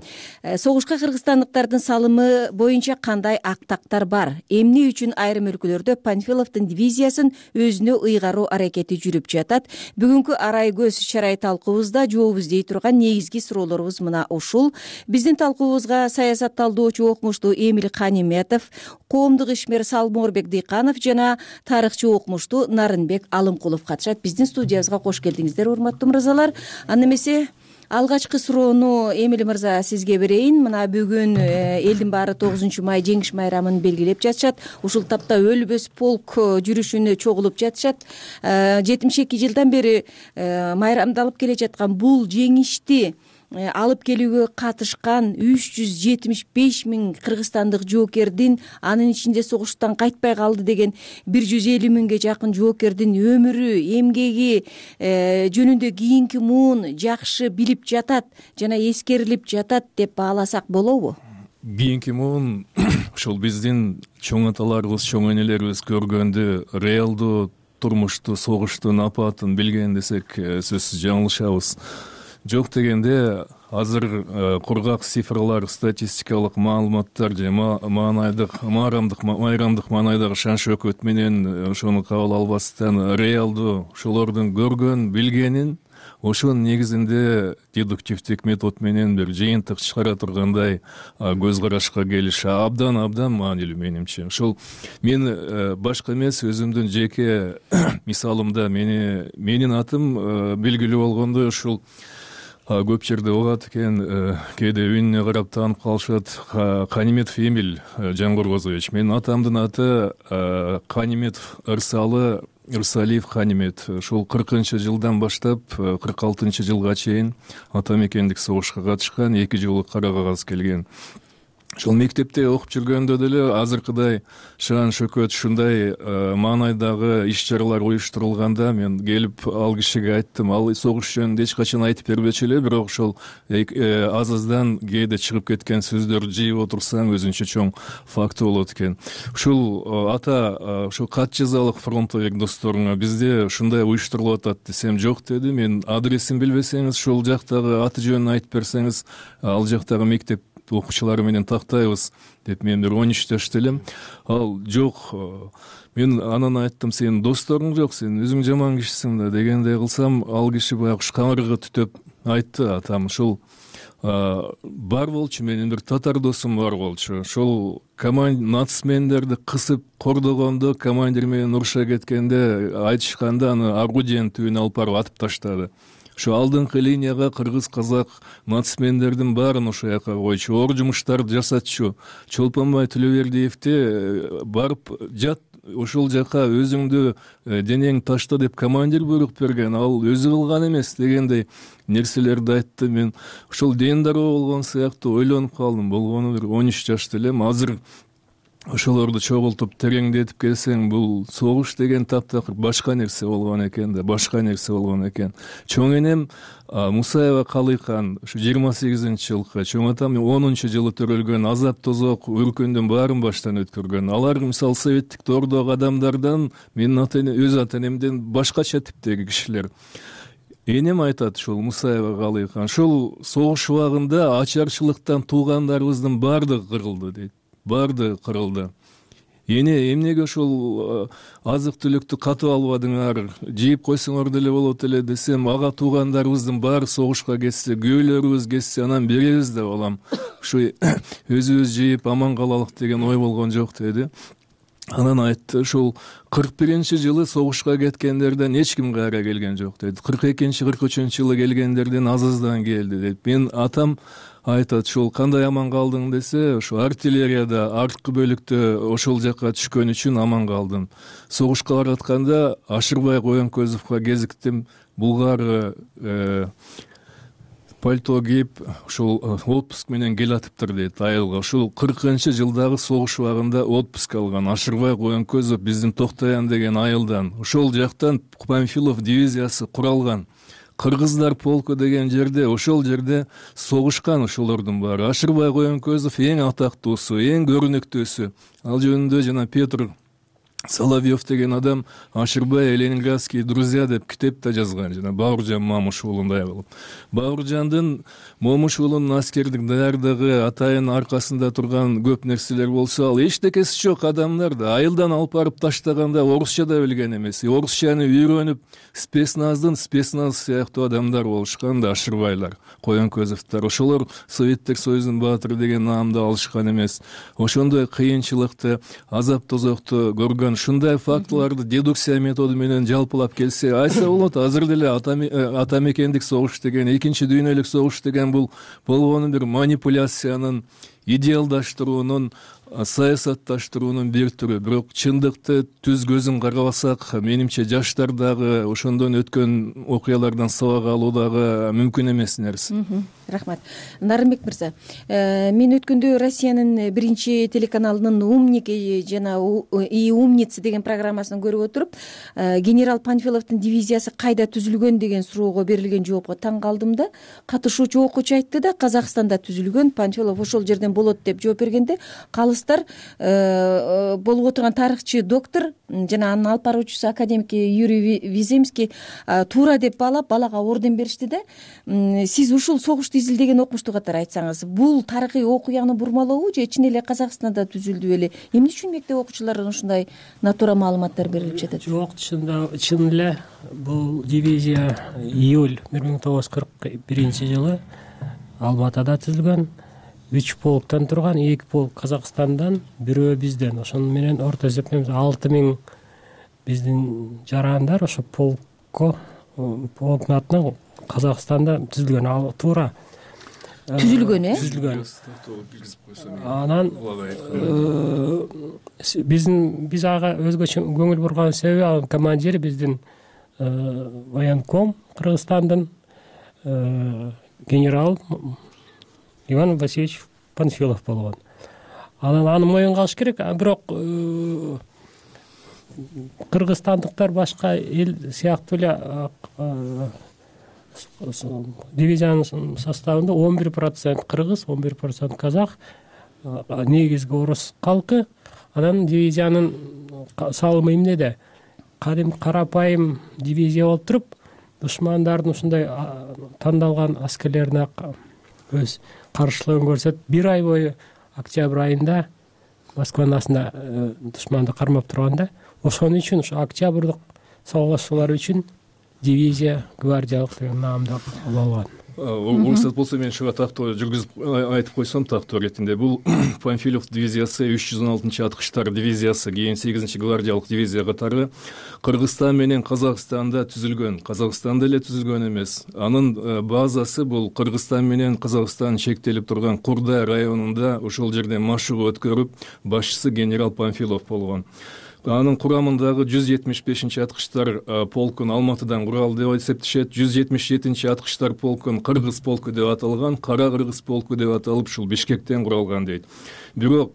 Согушка кыргызстандыктардын салымы боюнча кандай актактар бар? Эмне үчүн айрым өлкөлөрдө Панфиловдун дивизиясын өзүнө ыйгаруу аракети жүрүп жатат? Бүгүнкү арай көз чарай талкуубузда жооп издей турган негизги суроолорубуз мына ушул. Биздин талкуубузга саясат талдоочу окумуштуу Эмил Каниметов, коомдук ишмер Салморбек Дыйканов жана тарыхчы окумуштуу Нарынбек Алымкулов катышат. Биздин студиябызга кош келдиңиздер, урматтуу мырзалар. Анда эмесе алгачкы суроону Эмил мырза сизге берейин. Мына бүгүн элдин баары тогузунчу май жеңиш майрамын белгилеп жатышат. Ушул тапта өлбөс полк жүрүшүнө чогулуп жатышат. жетимиш эки жылдан бери майрамдалып келе жаткан бул жеңишти алып келүүгө катышкан үч жүз жетимиш беш миң кыргызстандык жоокердин, анын ичинде согуштан кайтпай калды деген бир жүз элүү миңге жакын жоокердин өмүрү, эмгеги жөнүндө кийинки муун жакшы билип жатат жана эскерилип жатат деп бааласак болобу? Кийинки муун ушул биздин чоң аталарыбыз, чоң энелерибиз көргөндү, реалдуу турмушту, согуштун апатын билген десек сөзсүз жаңылышабыз. Жок дегенде азыр кургак цифрлар, статистикалык маалыматтар же маанайдык, маарамдык, майрамдык маанайдагы шан шөкөт менен ошону кабыл албастан реалдуу ошолордун көргөн, билгенин ошонун негизинде дедуктивдик метод менен бир жыйынтык чыгара тургандай көз карашка келиш абдан абдан маанилүү менимче. Ошол мен башка эмес, өзүмдүн жеке мисалымда мени менин атым белгилүү болгондой ушул көп жерде угат экен, кээде үнүнө карап таанып калышат. Каниметов Эмиль Жангоргозович. Менин атамдын аты Каниметов Ырсалы Ырсалиев Канимет. Ошол кыркынчы жылдан баштап кырк алтынчы жылга чейин ата мекендик согушка катышкан, эки жолу кара кагаз келген. Ошол мектепте окуп жүргөндө деле азыркыдай шаан шөкөт ушундай маанайдагы иш чаралар уюштурулганда мен келип ал кишиге айттым. Ал согуш жөнүндө эч качан айтып бербечү эле, бирок ошол аз аздан кээде чыгып кеткен сөздөрдү жыйып отурсаң өзүнчө чоң факты болот экен. Ушул ата ошол кат жазалык фронтовик досторуңа бизде ушундай уюштурулуп атат десем, жок деди. Мен адресин билбесеңиз, ошол жактагы аты жөнүн айтып берсеңиз, ал жактагы мектеп окуучулары менен тактайбыз деп мен бир он үч жашта элем. Ал жок, мен анан айттым, сенин досторуң жок, сен өзүң жаман кишисиң да дегендей кылсам, ал киши баягы камырга түтөп айтты. Атам ушул бар болчу, менин бир татар досум бар болчу. Ошол нацмендерди кысып кордогондо, командир менен уруша кеткенде айтышканда аны орудиянын түбүнө алып барып атып таштады. Ошо алдыңкы линияга кыргыз, казак нацмендердин баарын ошол жака койчу, оор жумуштарды жасатчу. Чолпонбай Төлөбердиевди барып жат ошол жака, өзүңдү денең ташта деп командир буйрук берген, ал өзү кылган эмес дегендей нерселерди айтты. Мен ошол ден дароо болгон сыяктуу ойлонуп калдым. Болгону бир он үч жашта элем. Азыр ошолорду чогултуп тереңдетип келсең, бул согуш деген таптакыр башка нерсе болгон экен да, башка нерсе болгон экен. Чоң энем Мусаева Калыйкан ушу жыйырма сегизинчи жылкы, чоң атам онунчу жылы төрөлгөн, азап тозок өркөндүн баарын баштан өткөргөн. Алар мисалы советтик тордогу адамдардан, менин ата эне өз ата энемден башкача типтеги кишилер. Энем айтат ушул Мусаева Калыйкан, ушул согуш убагында ачарчылыктан туугандарыбыздын баардыгы кырылды дейт. Барды кырылды. Эне эмнеге ошол азык түлүктү катып албадыңар, жейип койсоңор деле болот эле десем, ага туугандарыбыздын баары согушка кетсе, күйөөлөрүбүз кетсе, анан беребиз деп алам. Ушу өзүбүз жейип аман калалык деген ой болгон жок деди. Анан айтты, ушул кырк биринчи жылы согушка кеткендерден эч ким кайра келген жок деди. кырк экинчи кырк үчүнчү жылы келгендерден аз аздан келди дейт. Мен атам айтат, ушул кандай аман калдың десе, ошо артиллерияда арткы бөлүктө ошол жакка түшкөн үчүн аман калдым. Согушка баратканда Ашырбай Коенкөзовго кезиктим. Булгар пальто кийип, ушул отпуск менен келатыптыр дейт айылга. Ушул кыркынчы жылдагы согуш убагында отпуск алган Ашырбай Коенкөзов биздин Токтоян деген айылдан. Ошол жактан Панфилов дивизиясы куралган. Кыргыздар полку деген жерде, ошол жерде согушкан ошолордун баары. Ашырбай Коенкөзов эң атактуусу, эң көрүнүктүүсү. Ал жөнүндө жана Петр Соловьев деген адам Ашырбай Ленинградские друзья деп китеп да жазган, жана Бауыржан Момушуулундай кылып. Бауыржандын Момушуулунун аскердик даярдыгы, атайын аркасында турган көп нерселер болсо, ал эчтекеси жок адамдар да айылдан алып барып таштаганда орусча да билген эмес. Орусчаны үйрөнүп, спецназдын спецназ сыяктуу адамдар болушкан да Ашырбайлар, Коенкөзовдор. Ошолор Советтик Союздун баатыры деген наамды алышкан эмес. Ошондой кыйынчылыкты, азап тозокту көргөн, ушундай фактыларды дедукция методу менен жалпылап келсе, айса болот. Азыр деле ата мекендик согуш деген, экинчи дүйнөлүк согуш деген бул болгону бир манипуляциянын, идеалдаштыруунун, саясатташтыруунун бир түрү. Бирок чындыкты түз көзүн карабасак, менимче жаштар дагы ошондон өткөн окуялардан сабак алуу дагы мүмкүн эмес нерсе. Рахмат. Нарымбек мырза, мен өткөндө Россиянын биринчи телеканалынын «Умник» жана «И умницы» деген программасын көрүп отуруп, генерал Панфиловдун дивизиясы кайда түзүлгөн деген суроого берилген жоопко таң калдым да. Катышуучу окуучу айтты да, Казакстанда түзүлгөн, Панфилов ошол жерден болот деп жооп бергенде, калыстар болуп отурган тарыхчы доктор жана анын алып баруучусу академик Юрий Виземский туура деп баалап, балага орден беришти да. Сиз ушул согушту изилдеген окумуштуу катары айтсаңыз, бул тарыхый окуяны бурмалообу же чын эле Казакстанда түзүлдү беле? Эмне үчүн мектеп окуучуларына ушундай натура маалыматтар берилип жатат? Жок, чын эле бул дивизия июль бир миң тогуз жүз кырк биринчи жылы Алматада түзүлгөн. Үч полктан турган, эки полк Казакстандан, бирөө бизден. Ошону менен орто эсеппен алты миң биздин жарандар ошо полкко, полктун атынан Казакстанда түзүлгөн. Ал туура түзүлгөн, э? Түзүлгөн. Анан биздин биз ага өзгөчө көңүл бурган себеби, ал командири биздин военком Кыргызстандын генерал Иван Васильевич Панфилов болгон. Анан аны моюнга алыш керек, бирок кыргызстандыктар башка эл сыяктуу эле дивизиянын составында он бир процент кыргыз, он бир процент казак, негизги орус калкы. Анан дивизиянын салымы эмнеде? Кадим карапайым дивизия болуп туруп, душмандардын ушундай тандалган аскерлерине өз каршылыгын көрсөтүп, бир ай бою октябрь айында Москванын астында душманды кармап турганда, ошон үчүн ушу октябрдык согушуулар үчүн дивизия гвардиялык деген наамды алган. Уруксат болсо мен ушуга тактоо жүргүзүп айтып койсом тактоо иретинде, бул Панфилов дивизиясы үч жүз он алтынчы аткычтар дивизиясы, кийин сегизинчи гвардиялык дивизия катары Кыргызстан менен Казакстанда түзүлгөн. Казакстанда эле түзүлгөн эмес. Анын базасы бул Кыргызстан менен Казакстан чектелип турган Курдай районунда, ошол жерден машыгуу өткөрүп, башчысы генерал Панфилов болгон. Анын курамындагы жүз жетимиш бешинчи аткычтар полкун Алматыдан курал деп эсептешет. жүз жетимиш жетинчи аткычтар полкун Кыргыз полку деп аталган, Кара Кыргыз полку деп аталып, ушул Бишкектен куралган дейт. Бирок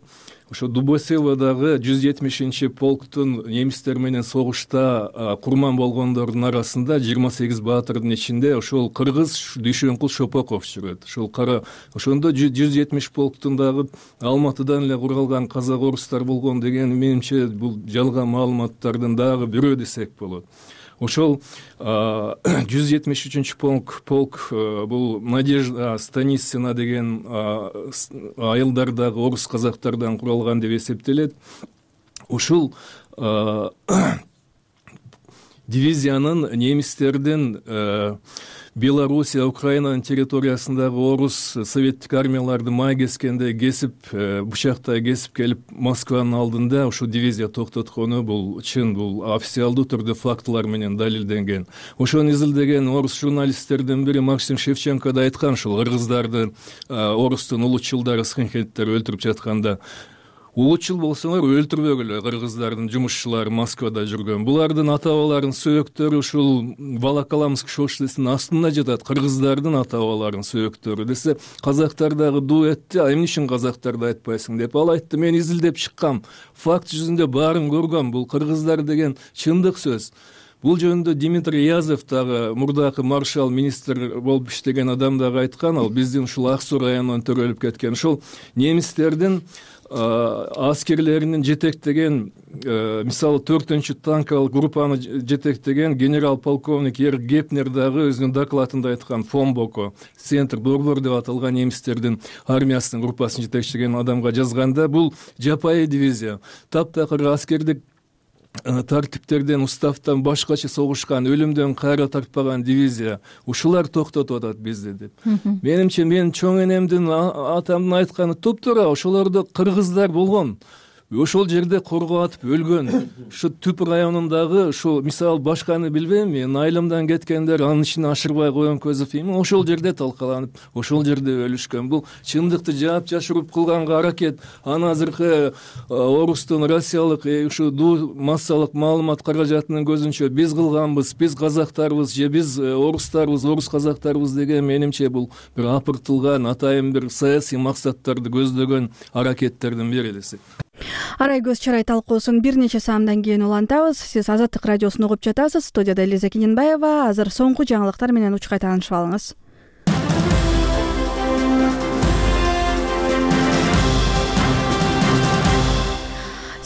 ошо Дубосеводагы жүз жетимишинчи полктун немистер менен согушта курман болгондордун арасында жыйырма сегиз баатырдын ичинде ошол кыргыз Дүйшөнкул Шопоков жүрөт. Ошол кара ошондо жүз жетимиш полктун дагы Алматыдан эле куралган казак орустар болгон деген менимче бул жалган маалыматтардын дагы бирөө десек болот. Ошол жүз жетимиш үчүнчү полк полк бул Надежда Станицина деген айылдардагы орус казактардан куралган деп эсептелет. Ушул дивизиянын немистердин Белоруссия, Украинанын территориясындагы орус советтик армияларды май кескенде кесип, бычактай кесип келип Москванын алдында ушул дивизия токтоткону бул чын, бул официалдуу түрдө фактылар менен далилденген. Ошону изилдеген орус журналисттердин бири Максим Шевченко да айткан, ушул кыргыздарды орустун улутчулдары, скинхедтер өлтүрүп жатканда, улутчул болсоңор өлтүрбөгүлө, кыргыздардын жумушчулары Москвада жүргөн. Булардын ата-бабаларынын сөөктөрү ушул Волоколамск шоссесинин астында жатат, кыргыздардын ата-бабаларынын сөөктөрү десе, казактар дагы дуу этти, а эмне үчүн казактарды айтпайсың деп. Ал айтты, мен изилдеп чыккам, факт жүзүндө баарын көргөм, бул кыргыздар деген чындык сөз. Бул жөнүндө Дмитрий Язев дагы мурдакы маршал министр болуп иштеген адам дагы айткан, ал биздин ушул Ак Суу районунан төрөлүп кеткен. Ушул немистердин аскерлеринин жетектеген, мисалы төртүнчү танкалык группаны жетектеген генерал-полковник Ерк Гепнер дагы өзүнүн докладында айткан, Фомбоко, Центр Борбор деп аталган немистердин армиясынын группасын жетекчилеген адамга жазганда, бул жапайы дивизия, таптакыр аскердик тартиптерден, уставтан башкача согушкан, өлүмдөн кайра тартпаган дивизия, ушулар токтотуп атат бизди деп. Менимче, мен чоң энемдин, атамдын айтканы туптуура, ошолордо кыргыздар болгон. Ошол жерде коргоп атып өлгөн. Ушу Түп районундагы ушу мисалы башканы билбейм, мен айылымдан кеткендер анын ичине Ашырбай Коенкөзов эми ошол жерде талкаланып, ошол жерде өлүшкөн. Бул чындыкты жаап жашыруп кылганга аракет. Аны азыркы орустун россиялык ушу дуу массалык маалымат каражатынын көзүнчө биз кылганбыз, биз казактарбыз же биз орустарбыз, орус казактарбыз деген менимче бул бир апыртылган, атайын бир саясий максаттарды көздөгөн аракеттердин бири десек. Арай көз чарай талкуусун бир нече саамдан кийин улантабыз. Сиз Азаттык радиосун угуп жатасыз. Студияда Элиза Кененбаева. Азыр соңку жаңылыктар менен учкай таанышып алыңыз.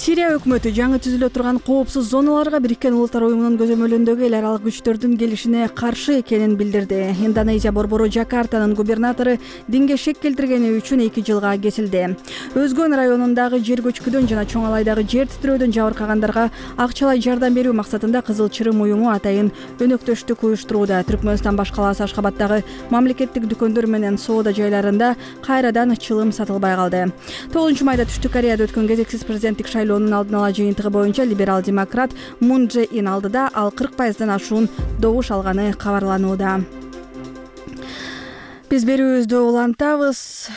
Сирия өкмөтү жаңы түзүлө турган коопсуз зоналарга Бириккен Улуттар уюмунун көзөмөлүндөгү эл аралык күчтөрдүн келишине каршы экенин билдирди. Индонезия борбору Жакартанын губернатору динге шек келтиргени үчүн эки жылга кесилди. Өзгөн районундагы жер көчкүдөн жана Чоң Алайдагы жер титирөөдөн жабыркагандарга акчалай жардам берүү максатында Кызыл Чырым уюму атайын өнөктөштүк уюштурууда. Түркмөнстан баш калаасы Ашкабаддагы мамлекеттик дүкөндөр менен соода жайларында кайрадан чылым сатылбай калды. тогузунчу майда Түштүк Кореяда өткөн кезексиз президенттик шайлоо алдын ала жыйынтыгы боюнча либерал-демократ Мун Чжэ Ин алдыда ал кырк пайыздан ашуун добуш алганы кабарланууда. Биз берүүбүздү улантабыз.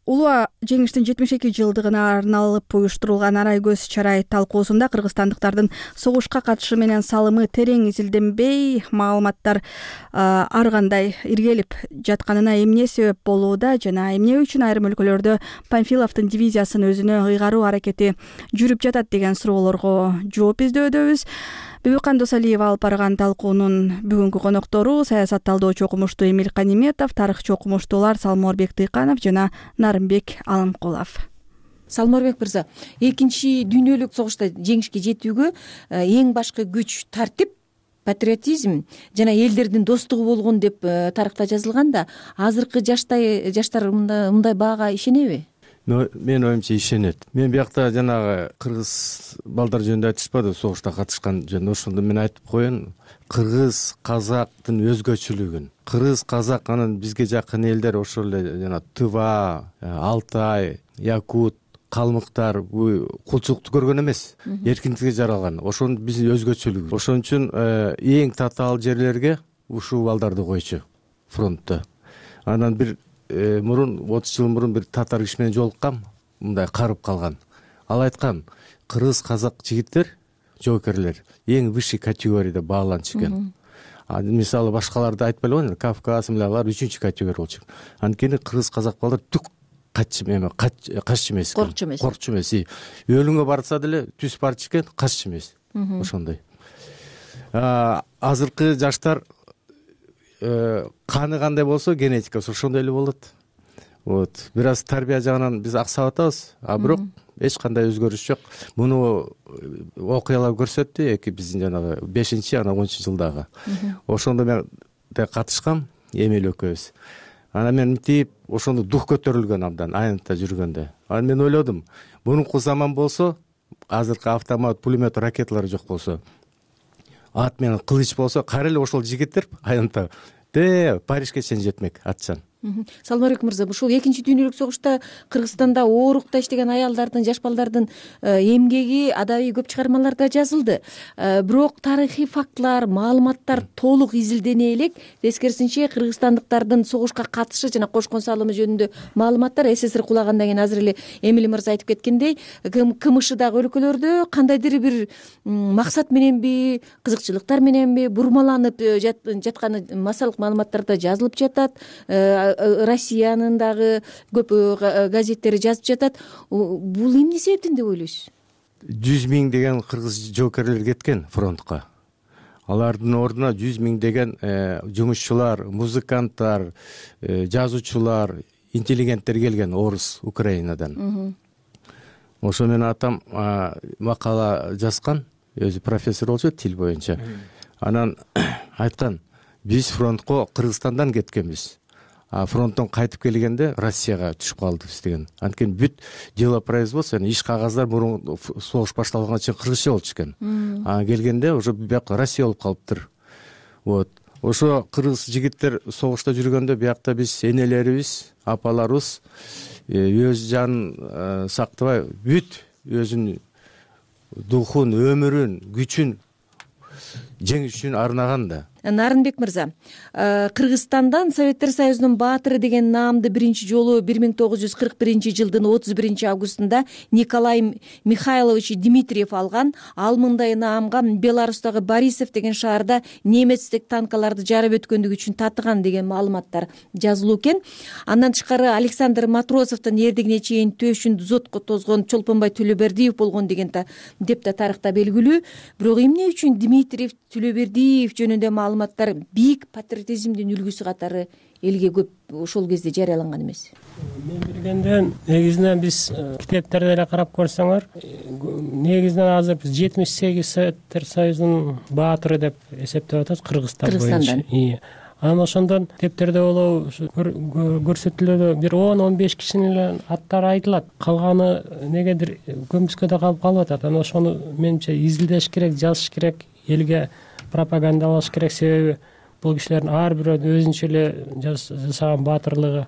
Улуу жеңиштин жетимиш эки жылдыгына арналып уюштурулган Арай көз чарай талкуусунда кыргызстандыктардын согушка катышы менен салымы терең изилденбей, маалыматтар ар кандай иргелип жатканына эмне себеп болууда жана эмне үчүн айрым өлкөлөрдө Панфиловдун дивизиясын өзүнө ыйгаруу аракети жүрүп жатат деген суроолорго жооп издөөндөбүз. Бибикан Досалиева алып барган талкуунун бүгүнкү коноктору саясат талдоочу окумуштуу Эмил Каниметов, тарыхчы окумуштуулар Салморбек Тыйканов жана Нарымбек Алымкулов. Салморбек мырза, экинчи дүйнөлүк согушта жеңишке жетүүгө эң башкы күч тартип, патриотизм жана элдердин достугу болгон деп тарыхта жазылганда, азыркы жаштай жаштар мындай баага ишенеби? Мен оюмча ишенет. Мен биякта жанагы кыргыз балдар жөнүндө айтышпады, согушта катышкан жөнүндө. Ошондо мен айтып коеюн, кыргыз казактын өзгөчөлүгүн. Кыргыз казак анан бизге жакын элдер ошол эле жана Тыва, Алтай, Якут, калмыктар бул кулчулукту көргөн эмес, эркиндикке жаралган. Ошонун биздин өзгөчөлүгү. Ошон үчүн эң татаал жерлерге ушул балдарды койчу фронтто. Анан бир мурун отуз жыл мурун бир татар киши менен жолуккам, мындай карып калган. Ал айткан, кыргыз казак жигиттер, жоокерлер эң высший категорияда бааланчу экен. Мисалы башкаларды айтпай эле, Кавказ, алар үчүнчү категория болчу. Анткени кыргыз казак балдар түк каччы эме каччы эмес экен, коркчу эмес, коркчу эмес. Өлүмгө барса деле түз барчу экен, каччы эмес. Ошондой. Азыркы жаштар каны кандай болсо генетикасы ошондой эле болот. Вот, бир аз тарбия жагынан биз аксап атабыз, а бирок эч кандай өзгөрүш жок. Муну окуялар көрсөттү, эки биздин жанагы бешинчи анан онунчу жылдагы. Ошондо мен да катышкам, Эмил экөөбүз. Анан мен мынтип ошондо дух көтөрүлгөн абдан айнытта жүргөндө. Анан мен ойлодум, мурунку заман болсо, азыркы автомат, пулемет, ракеталар жок болсо, ат менен кылыч болсо, кайра эле ошол жигиттер айнытта де Парижге чейин жетмек атчан. Салмабек мырза, ушул экинчи дүйнөлүк согушта Кыргызстанда оорукта иштеген аялдардын, жаш балдардын эмгеги адабий көп чыгармаларда жазылды. Бирок тарыхый фактылар, маалыматтар толук изилдене элек. Тескерисинче кыргызстандыктардын согушка катышы жана кошкон салымы жөнүндө маалыматтар СССР кулагандан кийин азыр эле Эмил мырза айтып кеткендей, КМШдагы өлкөлөрдө кандайдыр бир максат мененби, кызыкчылыктар мененби бурмаланып жатканы массалык маалыматтарда жазылып жатат. Россиянын дагы көп газеттери жазып жатат. Бул эмне себептен деп ойлойсуз? жүз миң деген кыргыз жоокерлер кеткен фронтко. Алардын ордуна жүз миң деген жумушчулар, музыканттар, жазуучулар, интеллигенттер келген орус, Украинадан. Ошо менен атам макала жазган, өзү профессор болчу тил боюнча. Анан айткан, биз фронтко Кыргызстандан кеткенбиз. А фронттон кайтып келгенде Россияга түшүп калдыбыз деген. Анткени бүт делопроизводство, иш кагаздар мурун согуш башталганга чейин кыргызча болчу экен. А келгенде уже бияка Россия болуп калыптыр. Вот. Ошо кыргыз жигиттер согушта жүргөндө биякта биз энелерибиз, апаларыбыз өз жанын сактабай, бүт өзүнүн духун, өмүрүн, күчүн жеңиш үчүн арнаган да. Нарынбек мырза, Кыргызстандан Советтер Союзунун баатыры деген наамды биринчи жолу бир миң тогуз жүз кырк биринчи жылдын отуз биринчи августунда Николай Михайлович Дмитриев алган. Ал мындай наамга Беларустагы Борисов деген шаарда немецтик танкаларды жарып өткөндүгү үчүн татыган деген маалыматтар жазылуу экен. Андан тышкары Александр Матросовдун эрдигине чейин төшүн зотко тозгон Чолпонбай Төлөбердиев болгон деген деп да тарыхта белгилүү. Бирок эмне үчүн Дмитриев, Төлөбердиев жөнүндө маалыматтар бийик патриотизмдин үлгүсү катары элге көп ошол кезде жарыяланган эмес? Мен билгенден негизинен биз китептерде эле карап көрсөңөр, негизинен азыр биз жетимиш сегиз Советтер Союзунун баатыры деп эсептеп атабыз Кыргызстан боюнча. Анан ошондон китептерде болобу көрсөтүлүүдө бир он он беш кишинин эле аттары айтылат. Калганы негедир көмүскөдө калып калып атат. Анан ошону менимче изилдеш керек, жазыш керек, элге пропагандалаш керек. Себеби бул кишилердин ар бирөө өзүнчө эле жасаган баатырлыгы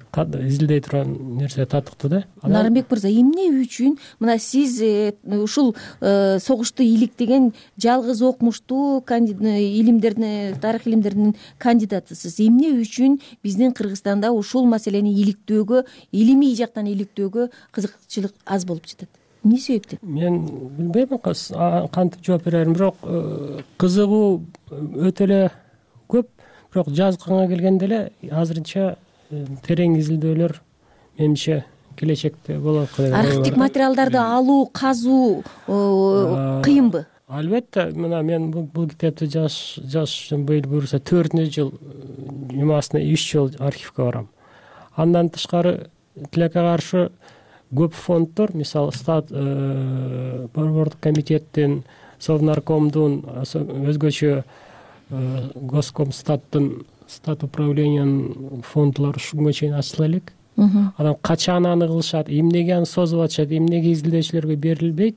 изилдей турган нерсе татыктуу да. Нарынбек мырза, эмне үчүн мына сиз ушул согушту иликтеген жалгыз окумуштуу илимдердин, тарых илимдеринин кандидатысыз. Эмне үчүн биздин Кыргызстанда ушул маселени иликтөөгө, илимий жактан иликтөөгө кызыкчылык аз болуп жатат? Эмне себептен? Мен билбейм кантип жооп берерин, бирок кызыгуу өтө эле көп. Бирок жазганга келгенде эле азырынча терең изилдөөлөр менимче келечекте болот. Архивдик материалдарды алуу, казуу кыйынбы? Албетте, мына мен бул китепти жазыш үчүн быйыл буюрса төртүнчү жыл жумасына үч жол архивге барам. Андан тышкары тилекке каршы көп фонддор, мисалы стат борбордук комитеттин, Совнаркомдун, өзгөчө Госкомстаттын, стат управлениянын фонддору ушунга чейин ачыла элек. Анан качан аны кылышат, эмнеге аны созуп атышат, эмнеге изилдөөчүлөргө берилбейт?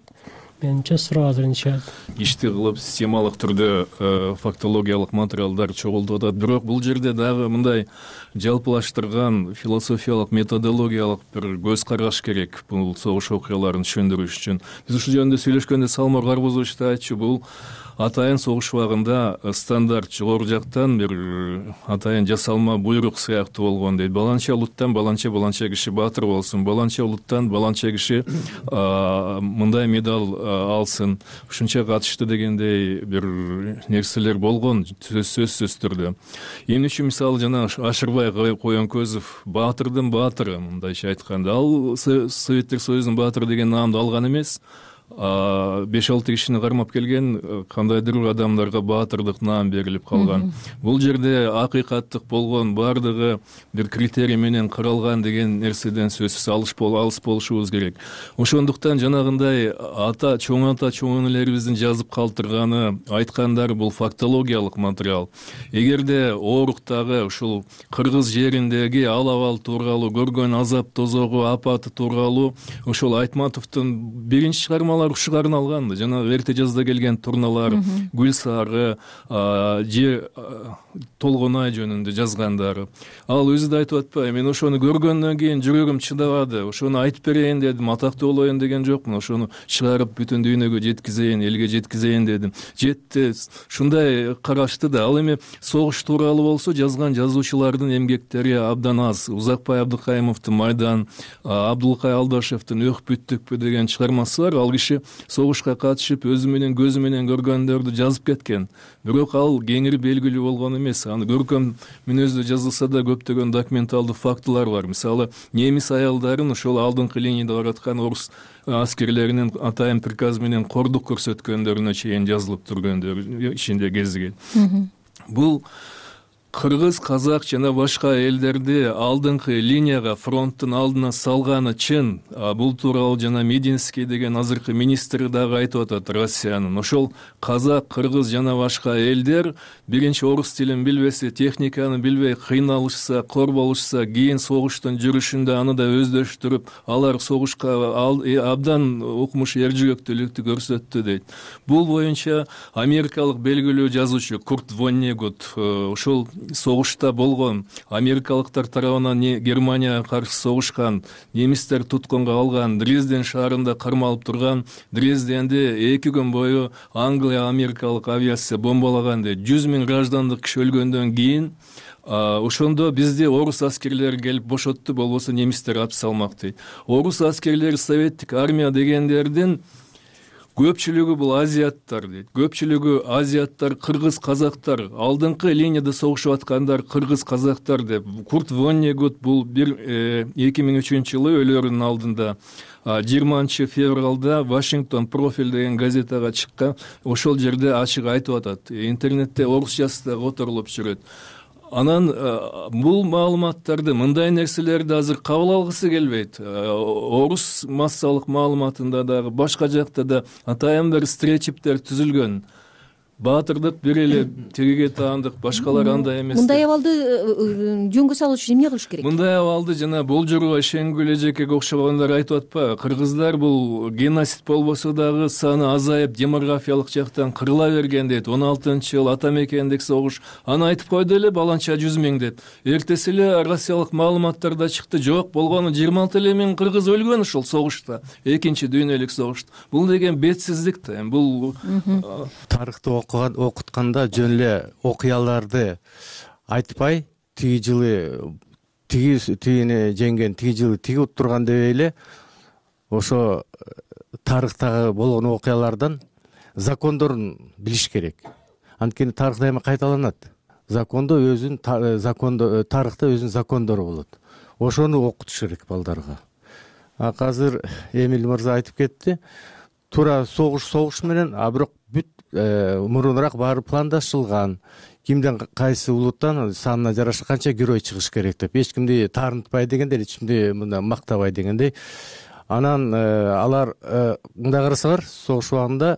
Менимче суроо азырынча ишти кылып системалык түрдө фактологиялык материалдар чогултуп атат. Бирок бул жерде дагы мындай жалпылаштырган философиялык, методологиялык бир көз караш керек бул согуш окуяларын түшүндүрүш үчүн. Биз ушул жөнүндө сүйлөшкөндө Салмор Карбузович да айтчу, бул атайын согуш убагында стандарт жогору жактан бир атайын жасалма буйрук сыяктуу болгон дейт. Баланча улуттан баланча баланча киши баатыр болсун, баланча улуттан баланча киши мындай медаль алсын, ушунча катышты дегендей бир нерселер болгон сөзсүз түрдө. Эмне үчүн мисалы жана Ашырбай Коенкөзов баатырдын баатыры мындайча айтканда, ал Советтер Союзунун баатыры деген наамды алган эмес. беш алты кишини кармап келген кандайдыр бир адамдарга баатырдык наам берилип калган. Бул жерде акыйкаттык болгон бардыгы бир критерий менен каралган деген нерседен сөзсүз алыс болушубуз керек. Ошондуктан жанагындай ата чоң ата чоң энелерибиздин жазып калтырганы, айткандары бул фактологиялык материал. Эгерде ооруктагы ушул кыргыз жериндеги ал абал тууралуу, көргөн азап тозогу, апаты тууралуу ошол Айтматовдун биринчи чыгармалары ушуга арналган. Жана эрте жазда келген турналар, Гүл сары, же Толгонай жөнүндө жазгандары. Ал өзү да айтып атпайбы, мен ошону көргөндөн кийин жүрөгүм чыдабады, ошону айтып берейин дедим, атактуу болоюн деген жокмун, ошону чыгарып бүтүн дүйнөгө жеткизейин, элге жеткизейин дедим. Жетти, ушундай карашты да. Ал эми согуш тууралуу болсо, жазган жазуучулардын эмгектери абдан аз. Узакбай Абдыкайымовдун Майдан, Абдулкай Алдашевдин Өх бүттүкпү деген чыгармасы бар. Ал киши согушка катышып, өзү менен көзү менен көргөндөрдү жазып кеткен. Бирок ал кеңири белгилүү болгон эмес. Аны көркөм мүнөздө жазылса да көптөгөн документалдуу фактылар бар. Мисалы, немис аялдарын ошол алдыңкы линияда бараткан орус аскерлеринин атайын приказы менен кордук көрсөткөндөрүнө чейин жазылып тургөндөр ичинде кезиген. Бул кыргыз, казак жана башка элдерди алдыңкы линияга, фронттун алдына салганы чын. Бул тууралуу жана Мединский деген азыркы министри дагы айтып атат, Россиянын. Ошол казак, кыргыз жана башка элдер биринчи орус тилин билбесе, техниканы билбей кыйналышса, кор болушса, кийин согуштун жүрүшүндө аны да өздөштүрүп, алар согушка абдан укмуш эржүгөктүүлүктү көрсөттү дейт. Бул боюнча америкалык белгилүү жазуучу Курт Воннегут ошол согушта болгон, америкалыктар тарабынан Германияга каршы согушкан, немистер туткунга алган, Дрезден шаарында кармалып турган, Дрезденди эки күн бою Англия америкалык авиация бомбалаган дейт. жүз миң граждандык киши өлгөндөн кийин ошондо бизди орус аскерлери келип бошотту, болбосо немистер атып салмак дейт. Орус аскерлери, советтик армия дегендердин көпчүлүгү бул азиаттар дейт. Көпчүлүгү азиаттар, кыргыз, казактар, алдыңкы линияда согушуп аткандар кыргыз, казактар деп. Курт Воннегут бул бир эки миң үчүнчү жылы өлөрүнүн алдында жыйырманчы февралда Вашингтон профиль деген газетага чыккан, ошол жерде ачык айтып атат. Интернетте орусчасы да которулуп жүрөт. Анан бул маалыматтарды, мындай нерселерди азыр кабыл алгысы келбейт. Орус массалык маалыматында дагы, башка жакта да атайын бир стереотиптер түзүлгөн. Баатырдык бир эле тигиге таандык, башкалар андай эмес. Мындай абалды жөнгө салуу үчүн эмне кылыш керек? Мындай абалды жана болжорго ишенгүл эжекеге окшогондор айтып атпайбы? Кыргыздар бул геноцид болбосо дагы саны азайып, демографиялык жактан кырыла берген дейт. он алтынчы жыл ата мекендик согуш. Аны айтып койду эле баланча жүз миң деп. Эртеси эле россиялык маалыматтарда чыкты, жок, болгону жыйырма алты эле миң кыргыз өлгөн ушул согушта, экинчи дүйнөлүк согушта. Бул деген бетсиздик да. Бул тарыхты окутканда жөн эле окуяларды айтпай, тиги жылы тиги тигини жеңген, тиги жылы тиги уттурган деп эле ошо тарыхтагы болгон окуялардан закондорун билиш керек. Анткени тарых дайыма кайталанат. Закондо өзүнүн закондо тарыхта өзүнүн закондору болот. Ошону окутуш керек балдарга. А азыр Эмиль мырза айтып кетти. Туура согуш согуш менен, а бирок бүт мурунураак баары пландашылган. Кимден кайсы улуттан санына жараша канча герой чыгыш керек деп, эч кимди таарынтпай дегендей, эч кимди мындай мактабай дегендей. Анан алар мындай карасалар, согуш убагында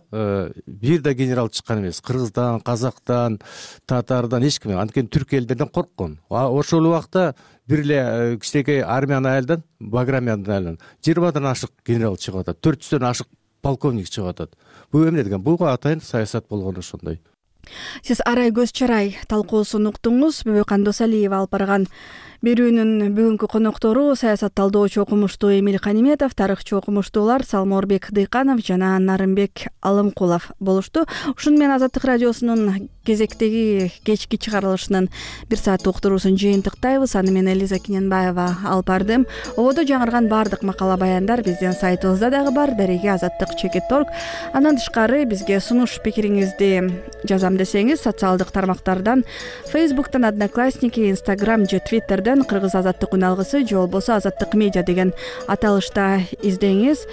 бир да генерал чыккан эмес. Кыргыздан, казактан, татардан эч ким, анткени түрк элдерден корккон. Ошол убакта бир эле кичинекей армиянын айылдан, Баграмянын айылынан жыйырмадан ашык генерал чыгып атат, төрт жүздөн ашык полковник чыгып атат. Бул эмне деген? Бул атайын саясат болгон ошондой. Сиз арай көз чарай талкуусун уктуңуз. Бөбөкан Досалиева алып барган берүүнүн бүгүнкү коноктору саясат талдоочу окумуштуу Эмиль Каниметов, тарыхчы окумуштуулар Салморбек Дыйканов жана Нарымбек Алымкулов болушту. Ушуну менен Азаттык радиосунун кезектеги кечки чыгарылышынын бир сааттык уктуруусун жыйынтыктайбыз. Аны мен Элиза Кененбаева алып бардым. Ободо жаңырган баардык макала баяндар биздин сайтыбызда дагы бар, дареги азаттык чекит точка орг. Андан тышкары бизге сунуш пикириңизди жазам десеңиз социалдык тармактардан, Facebook'тан, Одноклассники, Instagram же Twitter'дан Кыргыз азаттык үн алгысы же болбосо Азаттык медиа деген аталышта издеңиз.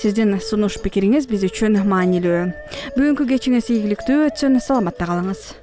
Сиздин сунуш пикириңиз биз үчүн маанилүү. Бүгүнкү кечиңиз ийгиликтүү өтсүн. Саламатта калыңыз.